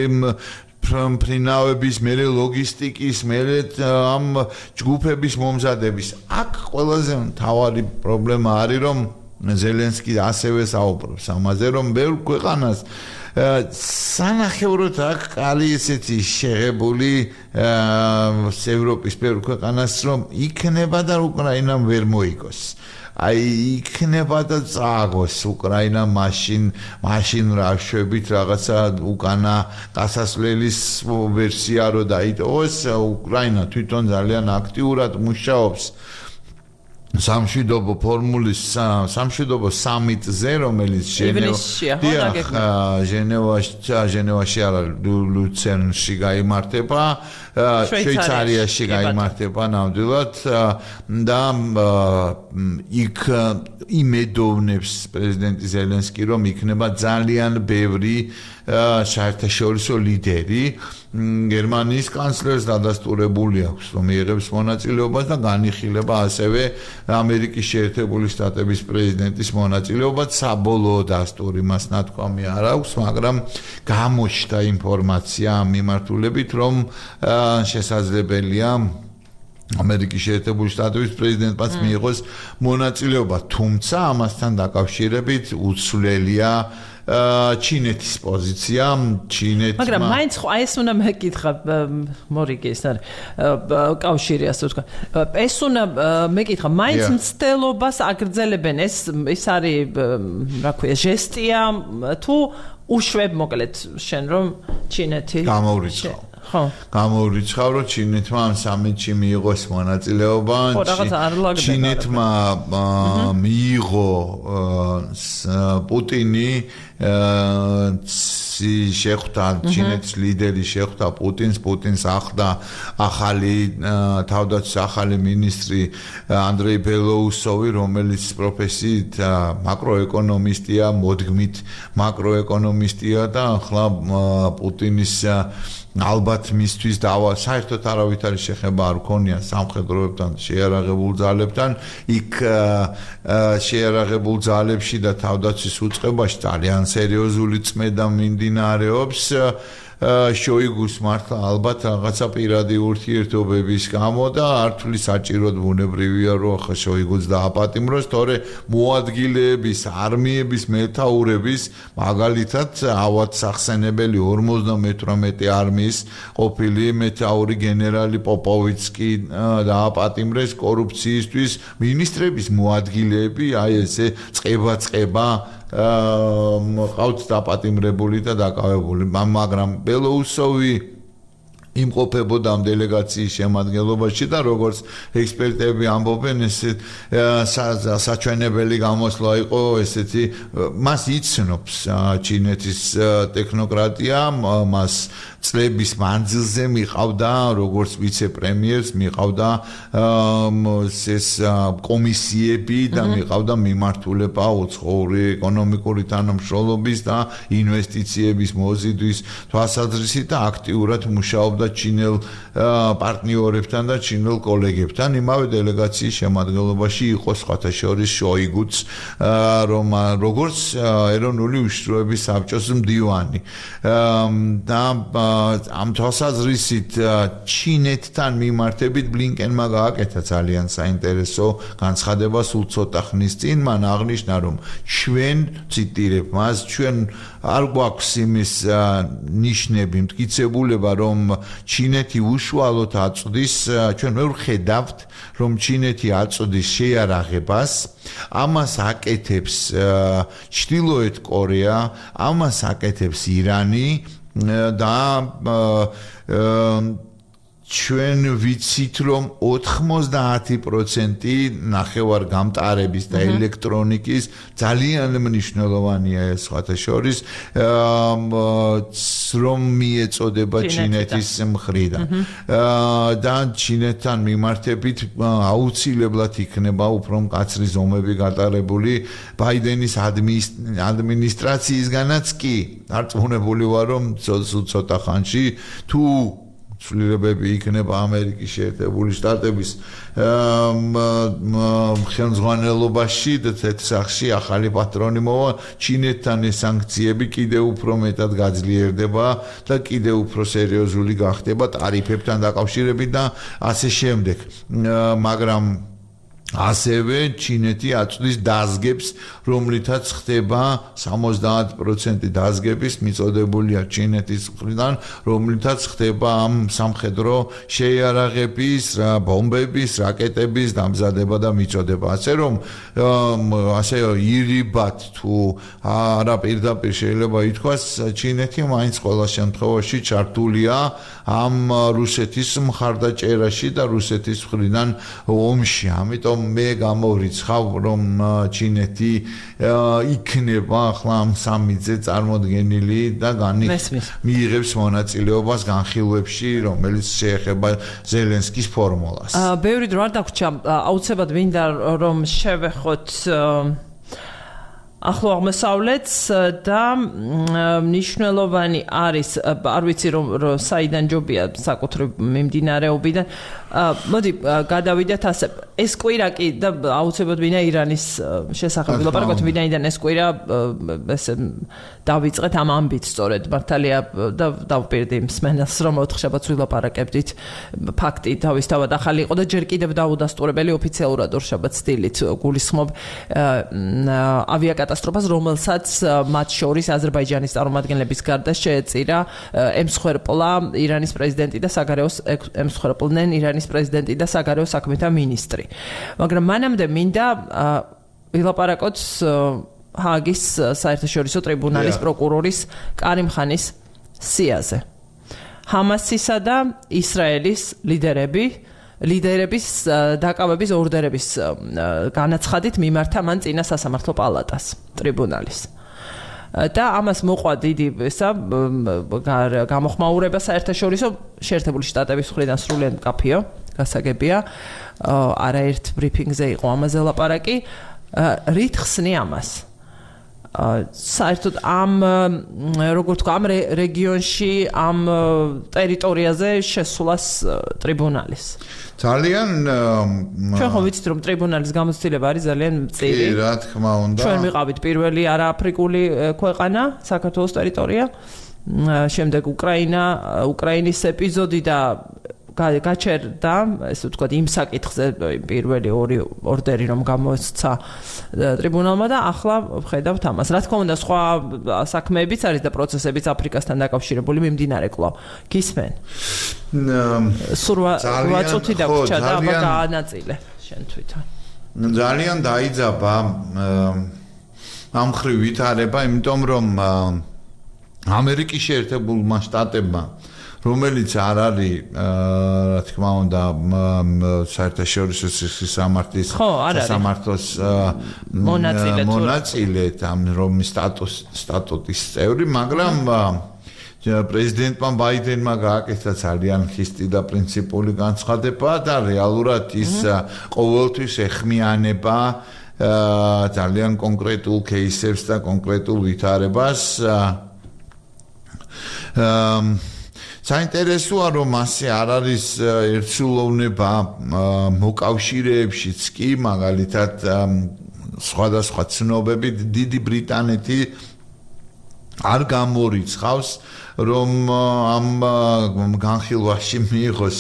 ფრინავების, მერე ლოგისტიკის, მერე ამ ჯგუფების მომზადების. აქ ყველაზე მთავარი პრობლემა არის, რომ ზელენსკი ასევე საუბრობს ამაზე, რომ ბევრ ქვეყანას სანახევროდ აქ კალი ესეთი შეღებული ევროპის ბევრ ქვეყანას, რომ იქნება და უკრაინამ ვერ მოიგოს. აი იქნება და წააგოს უკრაინა მაშინ მაშინ რაშვებით რაღაცა უკანა გასასვლელის ვერსია რო დაიტოვოს. უკრაინა თვითონ ძალიან აქტიურად მუშაობს სამშვიდობო ფორმულის სამშვიდობო სამიტზე, რომელიც ჟენევაში არა ლუცერნში გაიმართება, შვეიცარიაში გაიმართება ნამდვილად და იქ იმედოვნებს პრეზიდენტი ზელენსკი, რომ იქნება ძალიან ბევრი საერთაშორისო ლიდერი. გერმანიის კანცლერს დადასტურებული აქვს, რომ მიიღებს მონაწილეობას და განიხილება ასევე ამერიკის შეერთებული შტატების პრეზიდენტის მონაწილეობას. საბოლოო დასტური მას ნათქვამი არ აქვს, მაგრამ გამოჩნდა ინფორმაცია ამ მიმართულებით, რომ შესაძლებელია ამერიკის შეერთებული შტატების პრეზიდენტმაც მიიღოს მონაწილეობა, თუმცა ამასთან დაკავშირებით უცვლელია ჩინეთის პოზიცია, ჩინეთმა. მაგრამ მაინც ხო აი ეს უნდა მეკითხა მორიგი ეს არის კავშირი ასე ვთქვა. ეს უნდა მეკითხა, მაინც მცდელობას აგრძელებენ, ეს ეს არის რა ქვია, ჟესტია თუ უშვებ მოკლედ შენ რომ ჩინეთი გამოვრიცხავ. ხო. გამოვრიცხავ, რომ ჩინეთმა ამ სამიტში მიიღოს მონაწილეობა. ჩინეთმა მიიღო პუტინი შეხვდა ჩინეთის ლიდერი შეხვდა პუტინს, პუტინს ახლდა ახალი თავდაცვის ახალი მინისტრი ანდრეი ბელოუსოვი, რომელიც პროფესიით მაკროეკონომისტია, მოდგმით მაკროეკონომისტია და ახლა პუტინის ალბათ მისთვის დავა საერთოდ არავით არის შეხება არ ქონია სამხედროებთან, შეიარაღებულ ძალებთან. იქ შეიარაღებულ ძალებში და თავდაცვის უწყებაში ძალიან სერიოზული წმედა მიმდინარეობს. შოიგუს მართლა ალბათ რაღაცა პირადი ურთიერთობების გამო და ართული საჭიროდ ბუნებრივია, რომ ახლა შოიგუს დააპატიმროს, თორე მოადგილეების, არმიების მეთაურების, მაგალითად ავად სახსენებელი ორმოცდამეთვრამეტე არმიის ყოფილი მეთაური გენერალი პოპოვიცკი დააპატიმრეს კორუფციისთვის. მინისტრების მოადგილეები, აი ესე წყება-წყება ყავთ დაპატიმრებული და დაკავებული, მაგრამ ბელოუსოვი იმყოფებოდა ამ დელეგაციის შემადგენლობაში და როგორც ექსპერტები ამბობენ, ეს საჩვენებელი გამოსვლა იყო ესეთი, მას იცნობს ჩინეთის ტექნოკრატია, მას წლების მანძილზე მიყავდა როგორც ვიცე-პრემიერს, მიყავდა ეს კომისიები და მიყავდა მიმართულება უცხოური ეკონომიკური თანამშრომლობის და ინვესტიციების მოზიდვის თვალსაზრისით და აქტიურად მუშაობდა ჩინელ პარტნიორებთან და ჩინელ კოლეგებთან. იმავე დელეგაციის შემადგენლობაში იყო სხვათა შორის შოიგუც, რომ როგორც ეროვნული უშიშროების საბჭოს მდივანი და ამ თვალსაზრისით ჩინეთთან მიმართებით ბლინკენმა გააკეთა ძალიან საინტერესო განცხადება სულ ცოტა ხნის წინ. მან აღნიშნა, რომ ჩვენ ციტირებ მას, ჩვენ არ გვაქვს იმის ნიშნები, მტკიცებულება, რომ ჩინეთი უშუალოდ აწვდის, ჩვენ ვერ ვხედავთ, რომ ჩინეთი აწვდის შეიარაღებას, ამას აკეთებს ჩრდილოეთ კორეა, ამას აკეთებს ირანი და ჩვენ ვიცით რომ ოთხმოცდაათი პროცენტი ნახევარ გამტარების და ელექტრონიკის ძალიან მნიშვნელოვანია ეს სხვათა შორის რომ მიეწოდება ჩინეთის მხრიდან და ჩინეთთან მიმართებით აუცილებლად იქნება უფრო მკაცრი ზომები გატარებული ბაიდენის ადმინისტრაციისგანაც კი დარწმუნებული ვარ რომ ცოტა ხანში თუ ცვლილებები იქნება ამერიკის შეერთებული შტატების ხელმძღვანელობაში და თეთრსახში ახალი პატრონი მოვა ჩინეთთან ეს სანქციები კიდევ უფრო მეტად გაძლიერდება და კიდევ უფრო სერიოზული გახდება ტარიფებთან დაკავშირებით და ასე შემდეგ მაგრამ ასევე ჩინეთი აწვდის დაზგებს რომლითაც ხდება სამოცდაათი პროცენტი დაზგების მიწოდებულია ჩინეთის მხრიდან რომლითაც ხდება ამ სამხედრო შეიარაღების ბომბების რაკეტების დამზადება და მიწოდება ასე რომ ასე ირიბად თუ არა პირდაპირ შეიძლება ითქვას ჩინეთი მაინც ყველა შემთხვევაში ჩართულია ამ რუსეთის მხარდაჭერაში და რუსეთის მხრიდან ომში ამიტომ მე გამორიცხავ რომ ჩინეთი იქნება ახლა ამ სამიზე წარმოდგენილი და მიიღებს მონაწილეობას განხილვებში რომელიც შეეხება ზელენსკის ფორმულას. ბევრი დრო არ დაგვრჩა აუცილებლად მინდა რომ შევეხოთ ახლო აღმოსავლეთს და მნიშვნელოვანი არის არ ვიცი რომ საიდან ჯობია საკუთრივ მიმდინარეობიდან მოდი გადავიდეთ ასე ეს კვირაკი და აუცილებლად ვინა ირანის შესახებ ვილაპარაკოთ ვინაიდან ეს კვირა ესე დავიწყეთ ამ ამბით სწორედ მართალია და დავპირდი მსმენელს რომ ოთხშაბათს ვილაპარაკებდით ფაქტი თავისთავად ახალი იყო და ჯერ კიდევ დაუდასტურებელი ოფიციალურად ორშაბათს სტილით გულისხმობ ავიაკატასტროფას რომელსაც მათ შორის აზერბაიჯანის წარმომადგენლების გარდა შეეწირა ემსხვერპლა ირანის პრეზიდენტი და საგარეოს ემსხვერპლნენ ირანის პრეზიდენტი და საგარეო საქმეთა მინისტრი მაგრამ მანამდე მინდა ვილაპარაკოთ ჰააგის საერთაშორისო ტრიბუნალის პროკურორის კარიმ ხანის სიაზე ჰამასისა და ისრაელის ლიდერები ლიდერების დაკავების ორდერების განაცხადით მიმართა მან წინა სასამართლო პალატას ტრიბუნალის და ამას მოყვა დიდი ესა გამოხმაურება საერთაშორისო შეერთებული შტატების მხრიდან სრულიად მკაფიო გასაგებია არაერთ ბრიფინგზე იყო ამაზე ლაპარაკი რით ხსნი ამას საერთოდ ამ როგორ თქვა ამ რეგიონში ამ ტერიტორიაზე შესვლას ტრიბუნალის ძალიან ჩვენ ხო ვიცით რომ ტრიბუნალის გამოცდილება არის ძალიან მწირი კი რა თქმა უნდა ჩვენ ვიყავით პირველი არააფრიკული ქვეყანა საქართველოს ტერიტორია შემდეგ უკრაინა უკრაინის ეპიზოდი და გაჩერდა ესე ვთქვათ იმ საკითხზე პირველი ორი ორდერი რომ გამოსცა ტრიბუნალმა და ახლა ვხედავთ ამას. რა თქმა უნდა სხვა საქმეებიც არის და პროცესებიც აფრიკასთან დაკავშირებული მიმდინარე კვლავ. გისმენ? სურვა რვა წუთი დაგვრჩა და აბა გაანაწილე შენ თვითონ. ძალიან დაიძაბა ამ ხრივ ვითარება, იმიტომ რომ ამერიკის შეერთებულმა შტატებმა რომელიც არ არის რა თქმა უნდა საერთაშორისო სამართლის სამართლოს მონაწილე ამ რომ სტატუს სტატუტის წევრი მაგრამ პრეზიდენტმა ბაიდენმა გააკეთა ძალიან ხისტი და პრინციპული განცხადება და რეალურად ის ყოველთვის ეხმიანება ძალიან კონკრეტულ кейსებს და კონკრეტულ ვითარებას საინტერესოა რომ ასე არ არის ერთსულოვნება მოკავშირეებშიც კი მაგალითად სხვადასხვა ცნობები დიდი ბრიტანეთი არ გამორიცხავს რომ ამ განხილვაში მიიღოს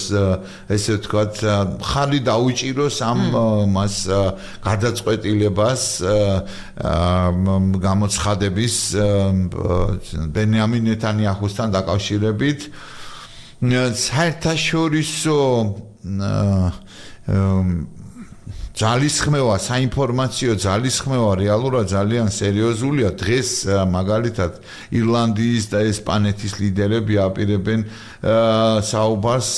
ესე ვთქვათ ხალი დაუჭიროს ამ მას გადაწყვეტილებას გამოცხადების ბენიამინ ნეტანიაჰუსთან დაკავშირებით საერთაშორისო ძალისხმევა, საინფორმაციო ძალისხმევა რეალურად ძალიან სერიოზულია. დღეს მაგალითად ირლანდიის და ესპანეთის ლიდერები აპირებენ საუბარს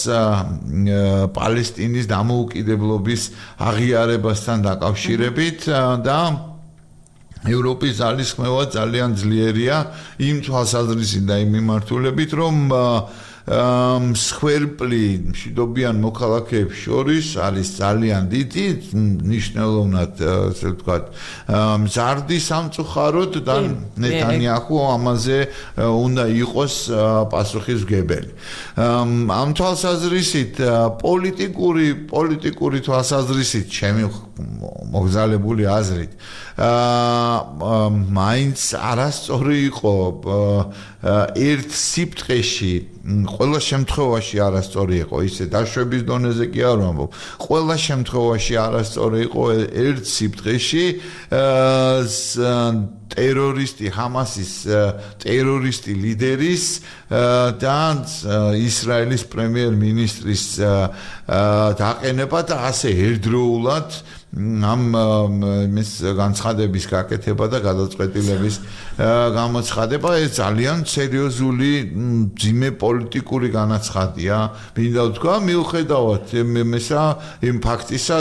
პალესტინის დამოუკიდებლობის აღიარებასთან დაკავშირებით და ევროპის ძალისხმევა ძალიან ძლიერია იმ თვალსაზრისით და იმ მიმართულებით, რომ მსხვერპლი მშვიდობიან მოქალაქეებს შორის არის ძალიან დიდი, ნიშნულოვნად, ასე ვთქვათ, მზარდი სამწუხაროდ და ნეტანიაჰუ ამაზე უნდა იყოს პასუხისმგებელი. ამ თვალსაზრისით პოლიტიკური პოლიტიკური თვალსაზრისით ჩემი მოგზალებული აზრით მაინც არასწორი იყო ერთ სიფტყეში ყველა შემთხვევაში არასწორი იყო ისე დაშვების დონეზე კი არ ვამბობ ყველა შემთხვევაში არასწორი იყო ერთ სიფტყეში ტერორისტი ჰამასის ტერორისტი ლიდერის და ისრაელის პრემიერ-მინისტრის დაყენება და ასე ერთდროულად ამ მის განცხადების გაკეთება და გადაწყვეტილების გამოცხადება ეს ძალიან სერიოზული ძიმე პოლიტიკური განაცხადია. მინდა ვთქვა მიუხედავად იმისა იმ ფაქტისა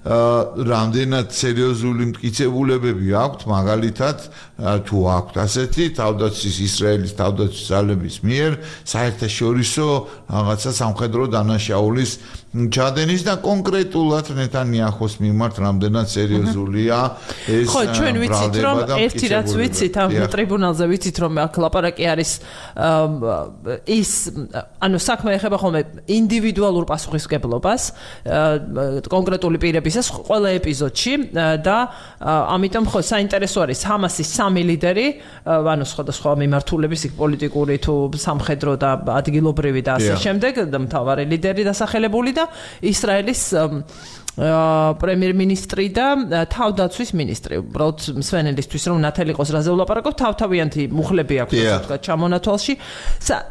რამდენად სერიოზული მტკიცებულებები აქვთ მაგალითად თუ აქვთ ასეთი თავდაცვის ისრაელის თავდაცვის ძალების მიერ საერთაშორისო რაღაცა სამხედრო დანაშაულის ჩადენის და კონკრეტულად ნეტანიაჰუს მიმართ რამდენად სერიოზულია ეს ხო ჩვენ ვიცით რომ ერთი რაც ვიცით ამ ტრიბუნალზე ვიცით რომ აქ ლაპარაკი არის ის ანუ საქმე ეხება ხოლმე ინდივიდუალურ პასუხისმგებლობას კონკრეტული პირებისას ყველა ეპიზოდში და ამიტომ ხო საინტერესო არის ჰამასის სამი ლიდერი ანუ სხვადასხვა მიმართულების იქ პოლიტიკური თუ სამხედრო და ადგილობრივი და ასე შემდეგ და მთავარი ლიდერი დასახელებული და ისრაელის პრემიერ-მინისტრი და თავდაცვის მინისტრი. უბრალოდ მსვენელისთვის რომ ნათელი იყოს რაზე ვლაპარაკობ, თავთავიანთი მუხლები აქვს ასე ვთქვათ ჩამონათვალში.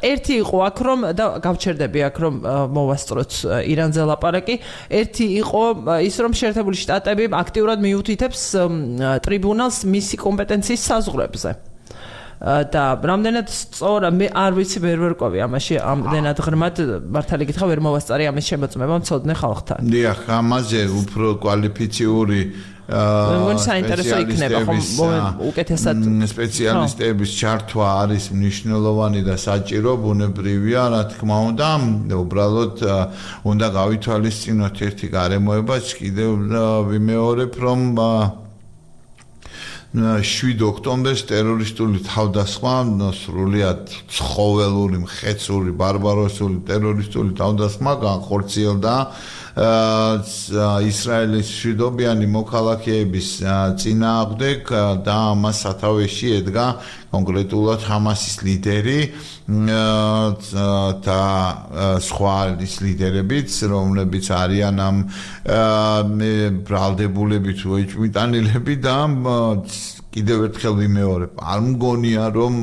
ერთი იყო აქ რომ და გავჩერდები აქ რომ მოვასწროთ ირანზე ლაპარაკი. ერთი იყო ის რომ შეერთებული შტატები აქტიურად მიუთითებს ტრიბუნალს მისი კომპეტენციის საზღვრებზე. და რამდენად სწორა მე არ ვიცი ვერ ვერკვევი ამაში ამდენად ღრმად მართალი გითხრა ვერ მოვასწარი ამის შემოწმება მცოდნე ხალხთან. დიახ, ამაზე უფრო კვალიფიციური მეგონი საინტერესო იქნება ხომ უკეთესად სპეციალისტების ჩართვა არის მნიშვნელოვანი და საჭირო ბუნებრივია რა თქმა უნდა უბრალოდ უნდა გავითვალისწინოთ ერთი გარემოებაც კიდევ ვიმეორებ რომ შვიდ ოქტომბერს ტერორისტული თავდასხმა სრულიად ცხოველური, მხეცური, ბარბაროსული ტერორისტული თავდასხმა განხორციელდა ისრაელის მშვიდობიანი მოქალაქეების წინააღმდეგ და ამას სათავეში ედგა კონკრეტულად ჰამასის ლიდერი და სხვა ლიდერებიც, რომლებიც არიან ამ ბრალდებულები თუ ეჭვმიტანილები და კიდევ ერთხელ ვიმეორებ, არ მგონია რომ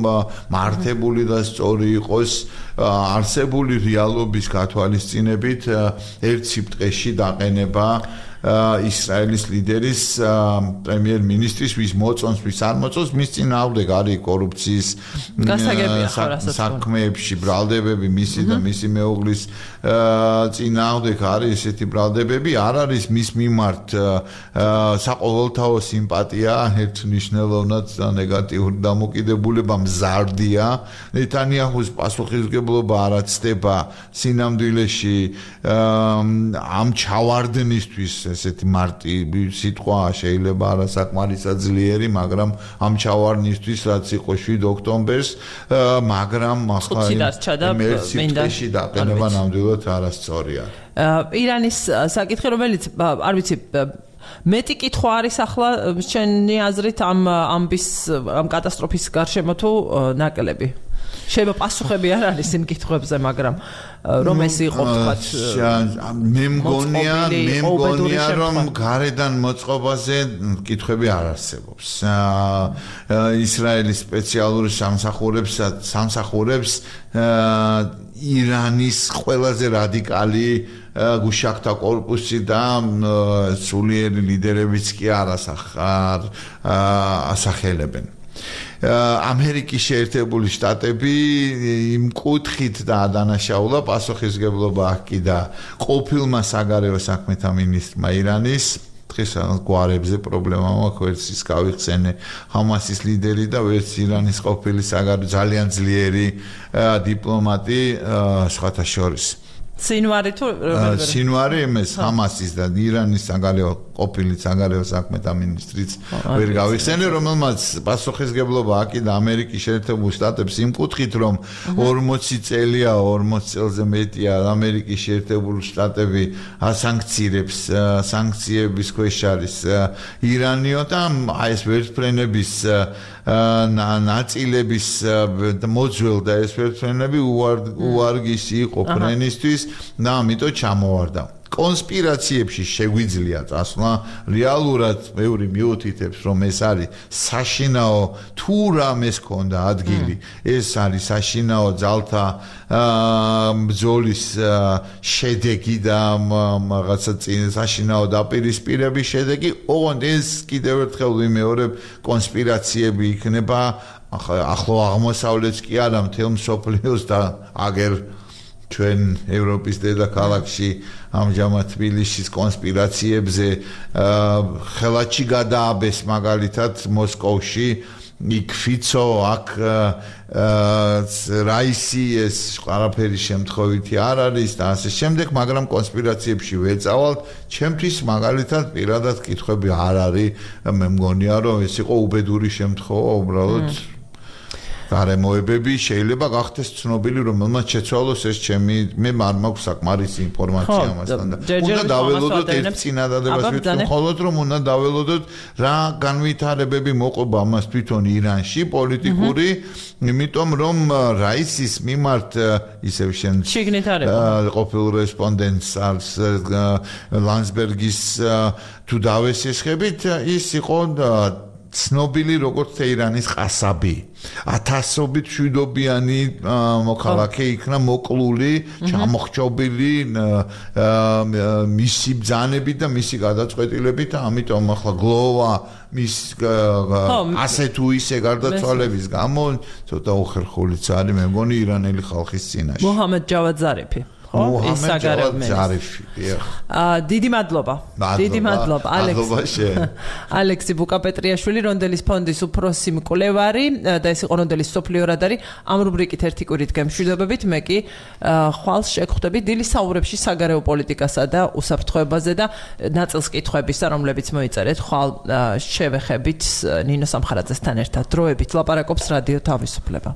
მართებული და სწორი იყოს არსებული რეალობის გათვალისწინებით ერთ სიფტყეში დაყენება ისრაელის ლიდერის პრემიერ-მინისტრის ვის მოწონს ვის არ მოწონს მის წინააღმდეგ არის კორუფციის საქმეებში ბრალდებები მისი და მისი მეუღლის წინააღმდეგ არის ესეთი ბრალდებები არ არის მის მიმართ საყოველთაო სიმპათია ერთ მნიშვნელოვნად ნეგატიური დამოკიდებულება მზარდია ნეტანიაჰუს პასუხისმგებლობა არ აცდება სინამდვილეში ამ ჩავარდნისთვის ესეთი მარტი სიტყვა შეიძლება არასაკმარისად ძლიერი, მაგრამ ამ ჩავარდნისთვის რაც იყო შვიდ ოქტომბერს, მაგრამ ახლა მერციფტეში დაყენება ნამდვილად არასწორია. ირანის საკითხი რომელიც არ ვიცი მეტი კითხვა არის ახლა შენი აზრით ამ ამბის ამ კატასტროფის გარშემო თუ ნაკლები? შეიძლება პასუხები არ არის იმ კითხვებზე, მაგრამ რომ ეს იყო თქვათ მე მგონია მე მგონია რომ გარედან მოწყობაზე კითხვები არ არსებობს. ისრაელის სპეციალური სამსახურებს სამსახურებს ირანის ყველაზე რადიკალი გუშაქთა კორპუსი და სულიერი ლიდერებიც კი არ ასახელებენ. ამერიკის შეერთებული შტატები იმ კუთხით და დანაშაულა პასუხისგებლობა აქვს და ყოფილმა საგარეო საქმეთა მინისტრმა ირანის დღეს გვარებზე პრობლემა მაქვს ვერც ის გავიხსენე ჰამასის ლიდერი და ვერც ირანის ყოფილი საგარეო ძალიან ძლიერი დიპლომატი სხვათა შორის სინვარი თუ სინვარი იმის ჰამასის და ირანის საგარეო ყოფილი საგარეო საქმეთა მინისტრიც ვერ გავიხსენე რომელმაც პასუხისგებლობა აქვს და ამერიკის შეერთებულ შტატებს იმ კუთხით რომ ორმოცი წელია ორმოცი წელზე მეტია ამერიკის შეერთებული შტატები ასანქცირებს სანქციების ქვეშ არის ირანიო და აი ეს ვერტმფრენების ნაწილების მოძველ და ეს ვერტმფრენები უარგისი იყო ფრენისთვის და ამიტომ ჩამოვარდა კონსპირაციებში შეგვიძლია წასვლა რეალურად მეური მიუთითებს რომ ეს არის საშინაო თუ რამეს ქონდა ადგილი ეს არის საშინაო ძალთა ბრძოლის შედეგი და რაღაცა წინ საშინაო დაპირისპირების შედეგი ოღონდ ეს კიდევ ერთხელ ვიმეორებ კონსპირაციები იქნება ახლო აღმოსავლეთს კი არა მთელ მსოფლიოს და აგერ ჩვენ ევროპის დედაქალაქში ამჟამად თბილისის კონსპირაციებზე ხელაჩი გადააბეს მაგალითად მოსკოვში იქ ფიცო აქ რაისი ეს ყველაფერი შემთხვევითი არ არის და ასე შემდეგ მაგრამ კონსპირაციებში ვეწავალთ ჩემთვის მაგალითად პირადად კითხვები არ არის მე მგონია რომ ეს იყო უბედური შემთხვევა უბრალოდ გარემოებები შეიძლება გახდეს ცნობილი რომელმაც შეცვალოს ეს ჩემი მე არ მაქვს საკმარისი ინფორმაცია ამასთან და უნდა დაველოდოთ ერთ წინადადებას ვიტყვი მხოლოდ რომ უნდა დაველოდოთ რა განვითარებები მოყვება ამას თვითონ ირანში პოლიტიკური იმიტომ რომ რაისის მიმართ ისევ შენ ყოფილ რესპონდენტს არის ლანსბერგის თუ დავესესხებით ის იყო ცნობილი როგორც ირანის ყასაბი ათასობით მშვიდობიანი მოქალაქე იქნა მოკლული ჩამოხრჩობილი მისი ბრძანებით და მისი გადაწყვეტილებით და ამიტომ ახლა გლოვა მის ასე თუ ისე გარდაცვალების გამო ცოტა უხერხულიც არის მე მგონი ირანელი ხალხის წინაშე მოჰამედ ჯავად ზარიფი ის საგარეო მინისტრი. დიდი მადლობა. დიდი მადლობა ალექსი. ალექსი ბუკაპეტრიაშვილი რონდელის ფონდის უფროსი მკვლევარი და ეს იყო რონდელის სოფლიო რადარი ამ რუბრიკით ერთი კვირით გემშვიდობებით მე კი ხვალს შეგხვდები დილის საუბრებში საგარეო პოლიტიკასა და უსაფრთხოებაზე და ნაწილს კითხვებისა რომლებიც მოიწერეთ ხვალ შევეხებით ნინო სამხარაძესთან ერთად დროებით ლაპარაკობს რადიო თავისუფლება.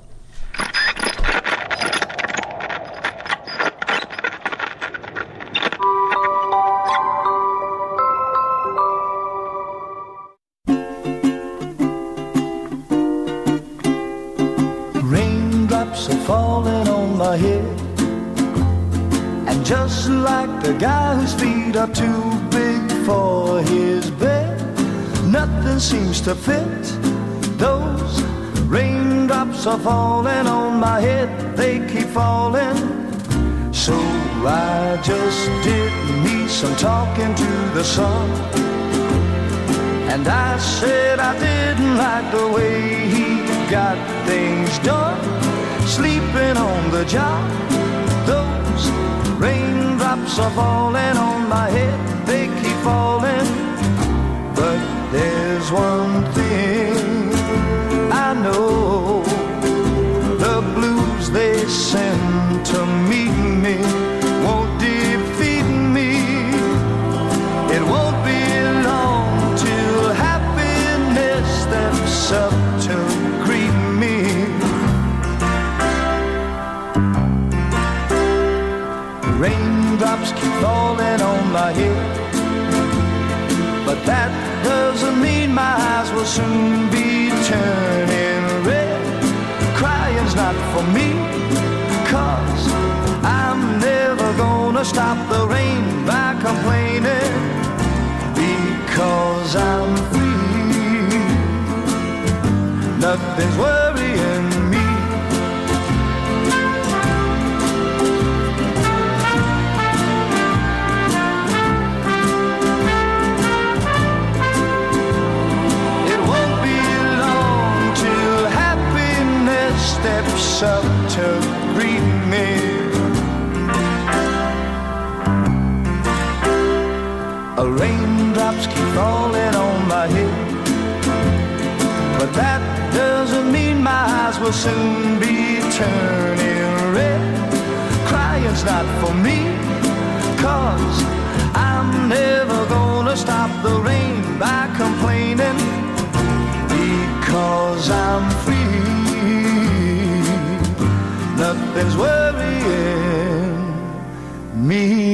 Falling on my head, and just like the guy whose feet are too big for his bed, nothing seems to fit. Those raindrops are falling on my head, they keep falling. So I just did me some talking to the sun, and I said I didn't like the way he got things done. Sleeping on the job, those raindrops are falling on my head, they keep falling. But there's one thing I know, the blues they send to meet me won't defeat me. It won't be long till happiness steps up to greet me. Raindrops keep falling on my head, but that doesn't mean my eyes will soon be turning red. Crying's not for me, 'cause I'm never gonna stop the rain by complaining, because I'm free. Nothing's worrying me. Raindrops keep falling on my head, but that doesn't mean my eyes will soon be turning red. Crying's not for me, 'cause I'm never gonna stop the rain by complaining, because I'm free. Nothing's worrying me.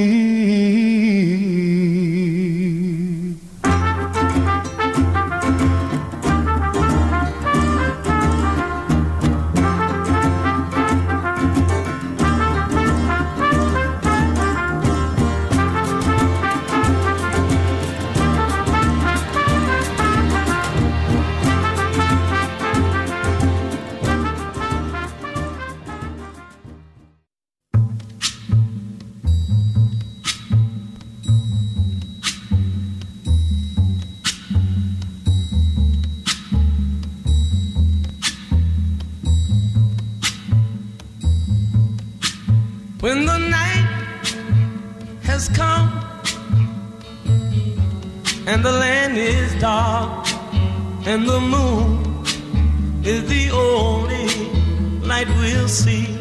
When the night has come and the land is dark and the moon is the only light we'll see,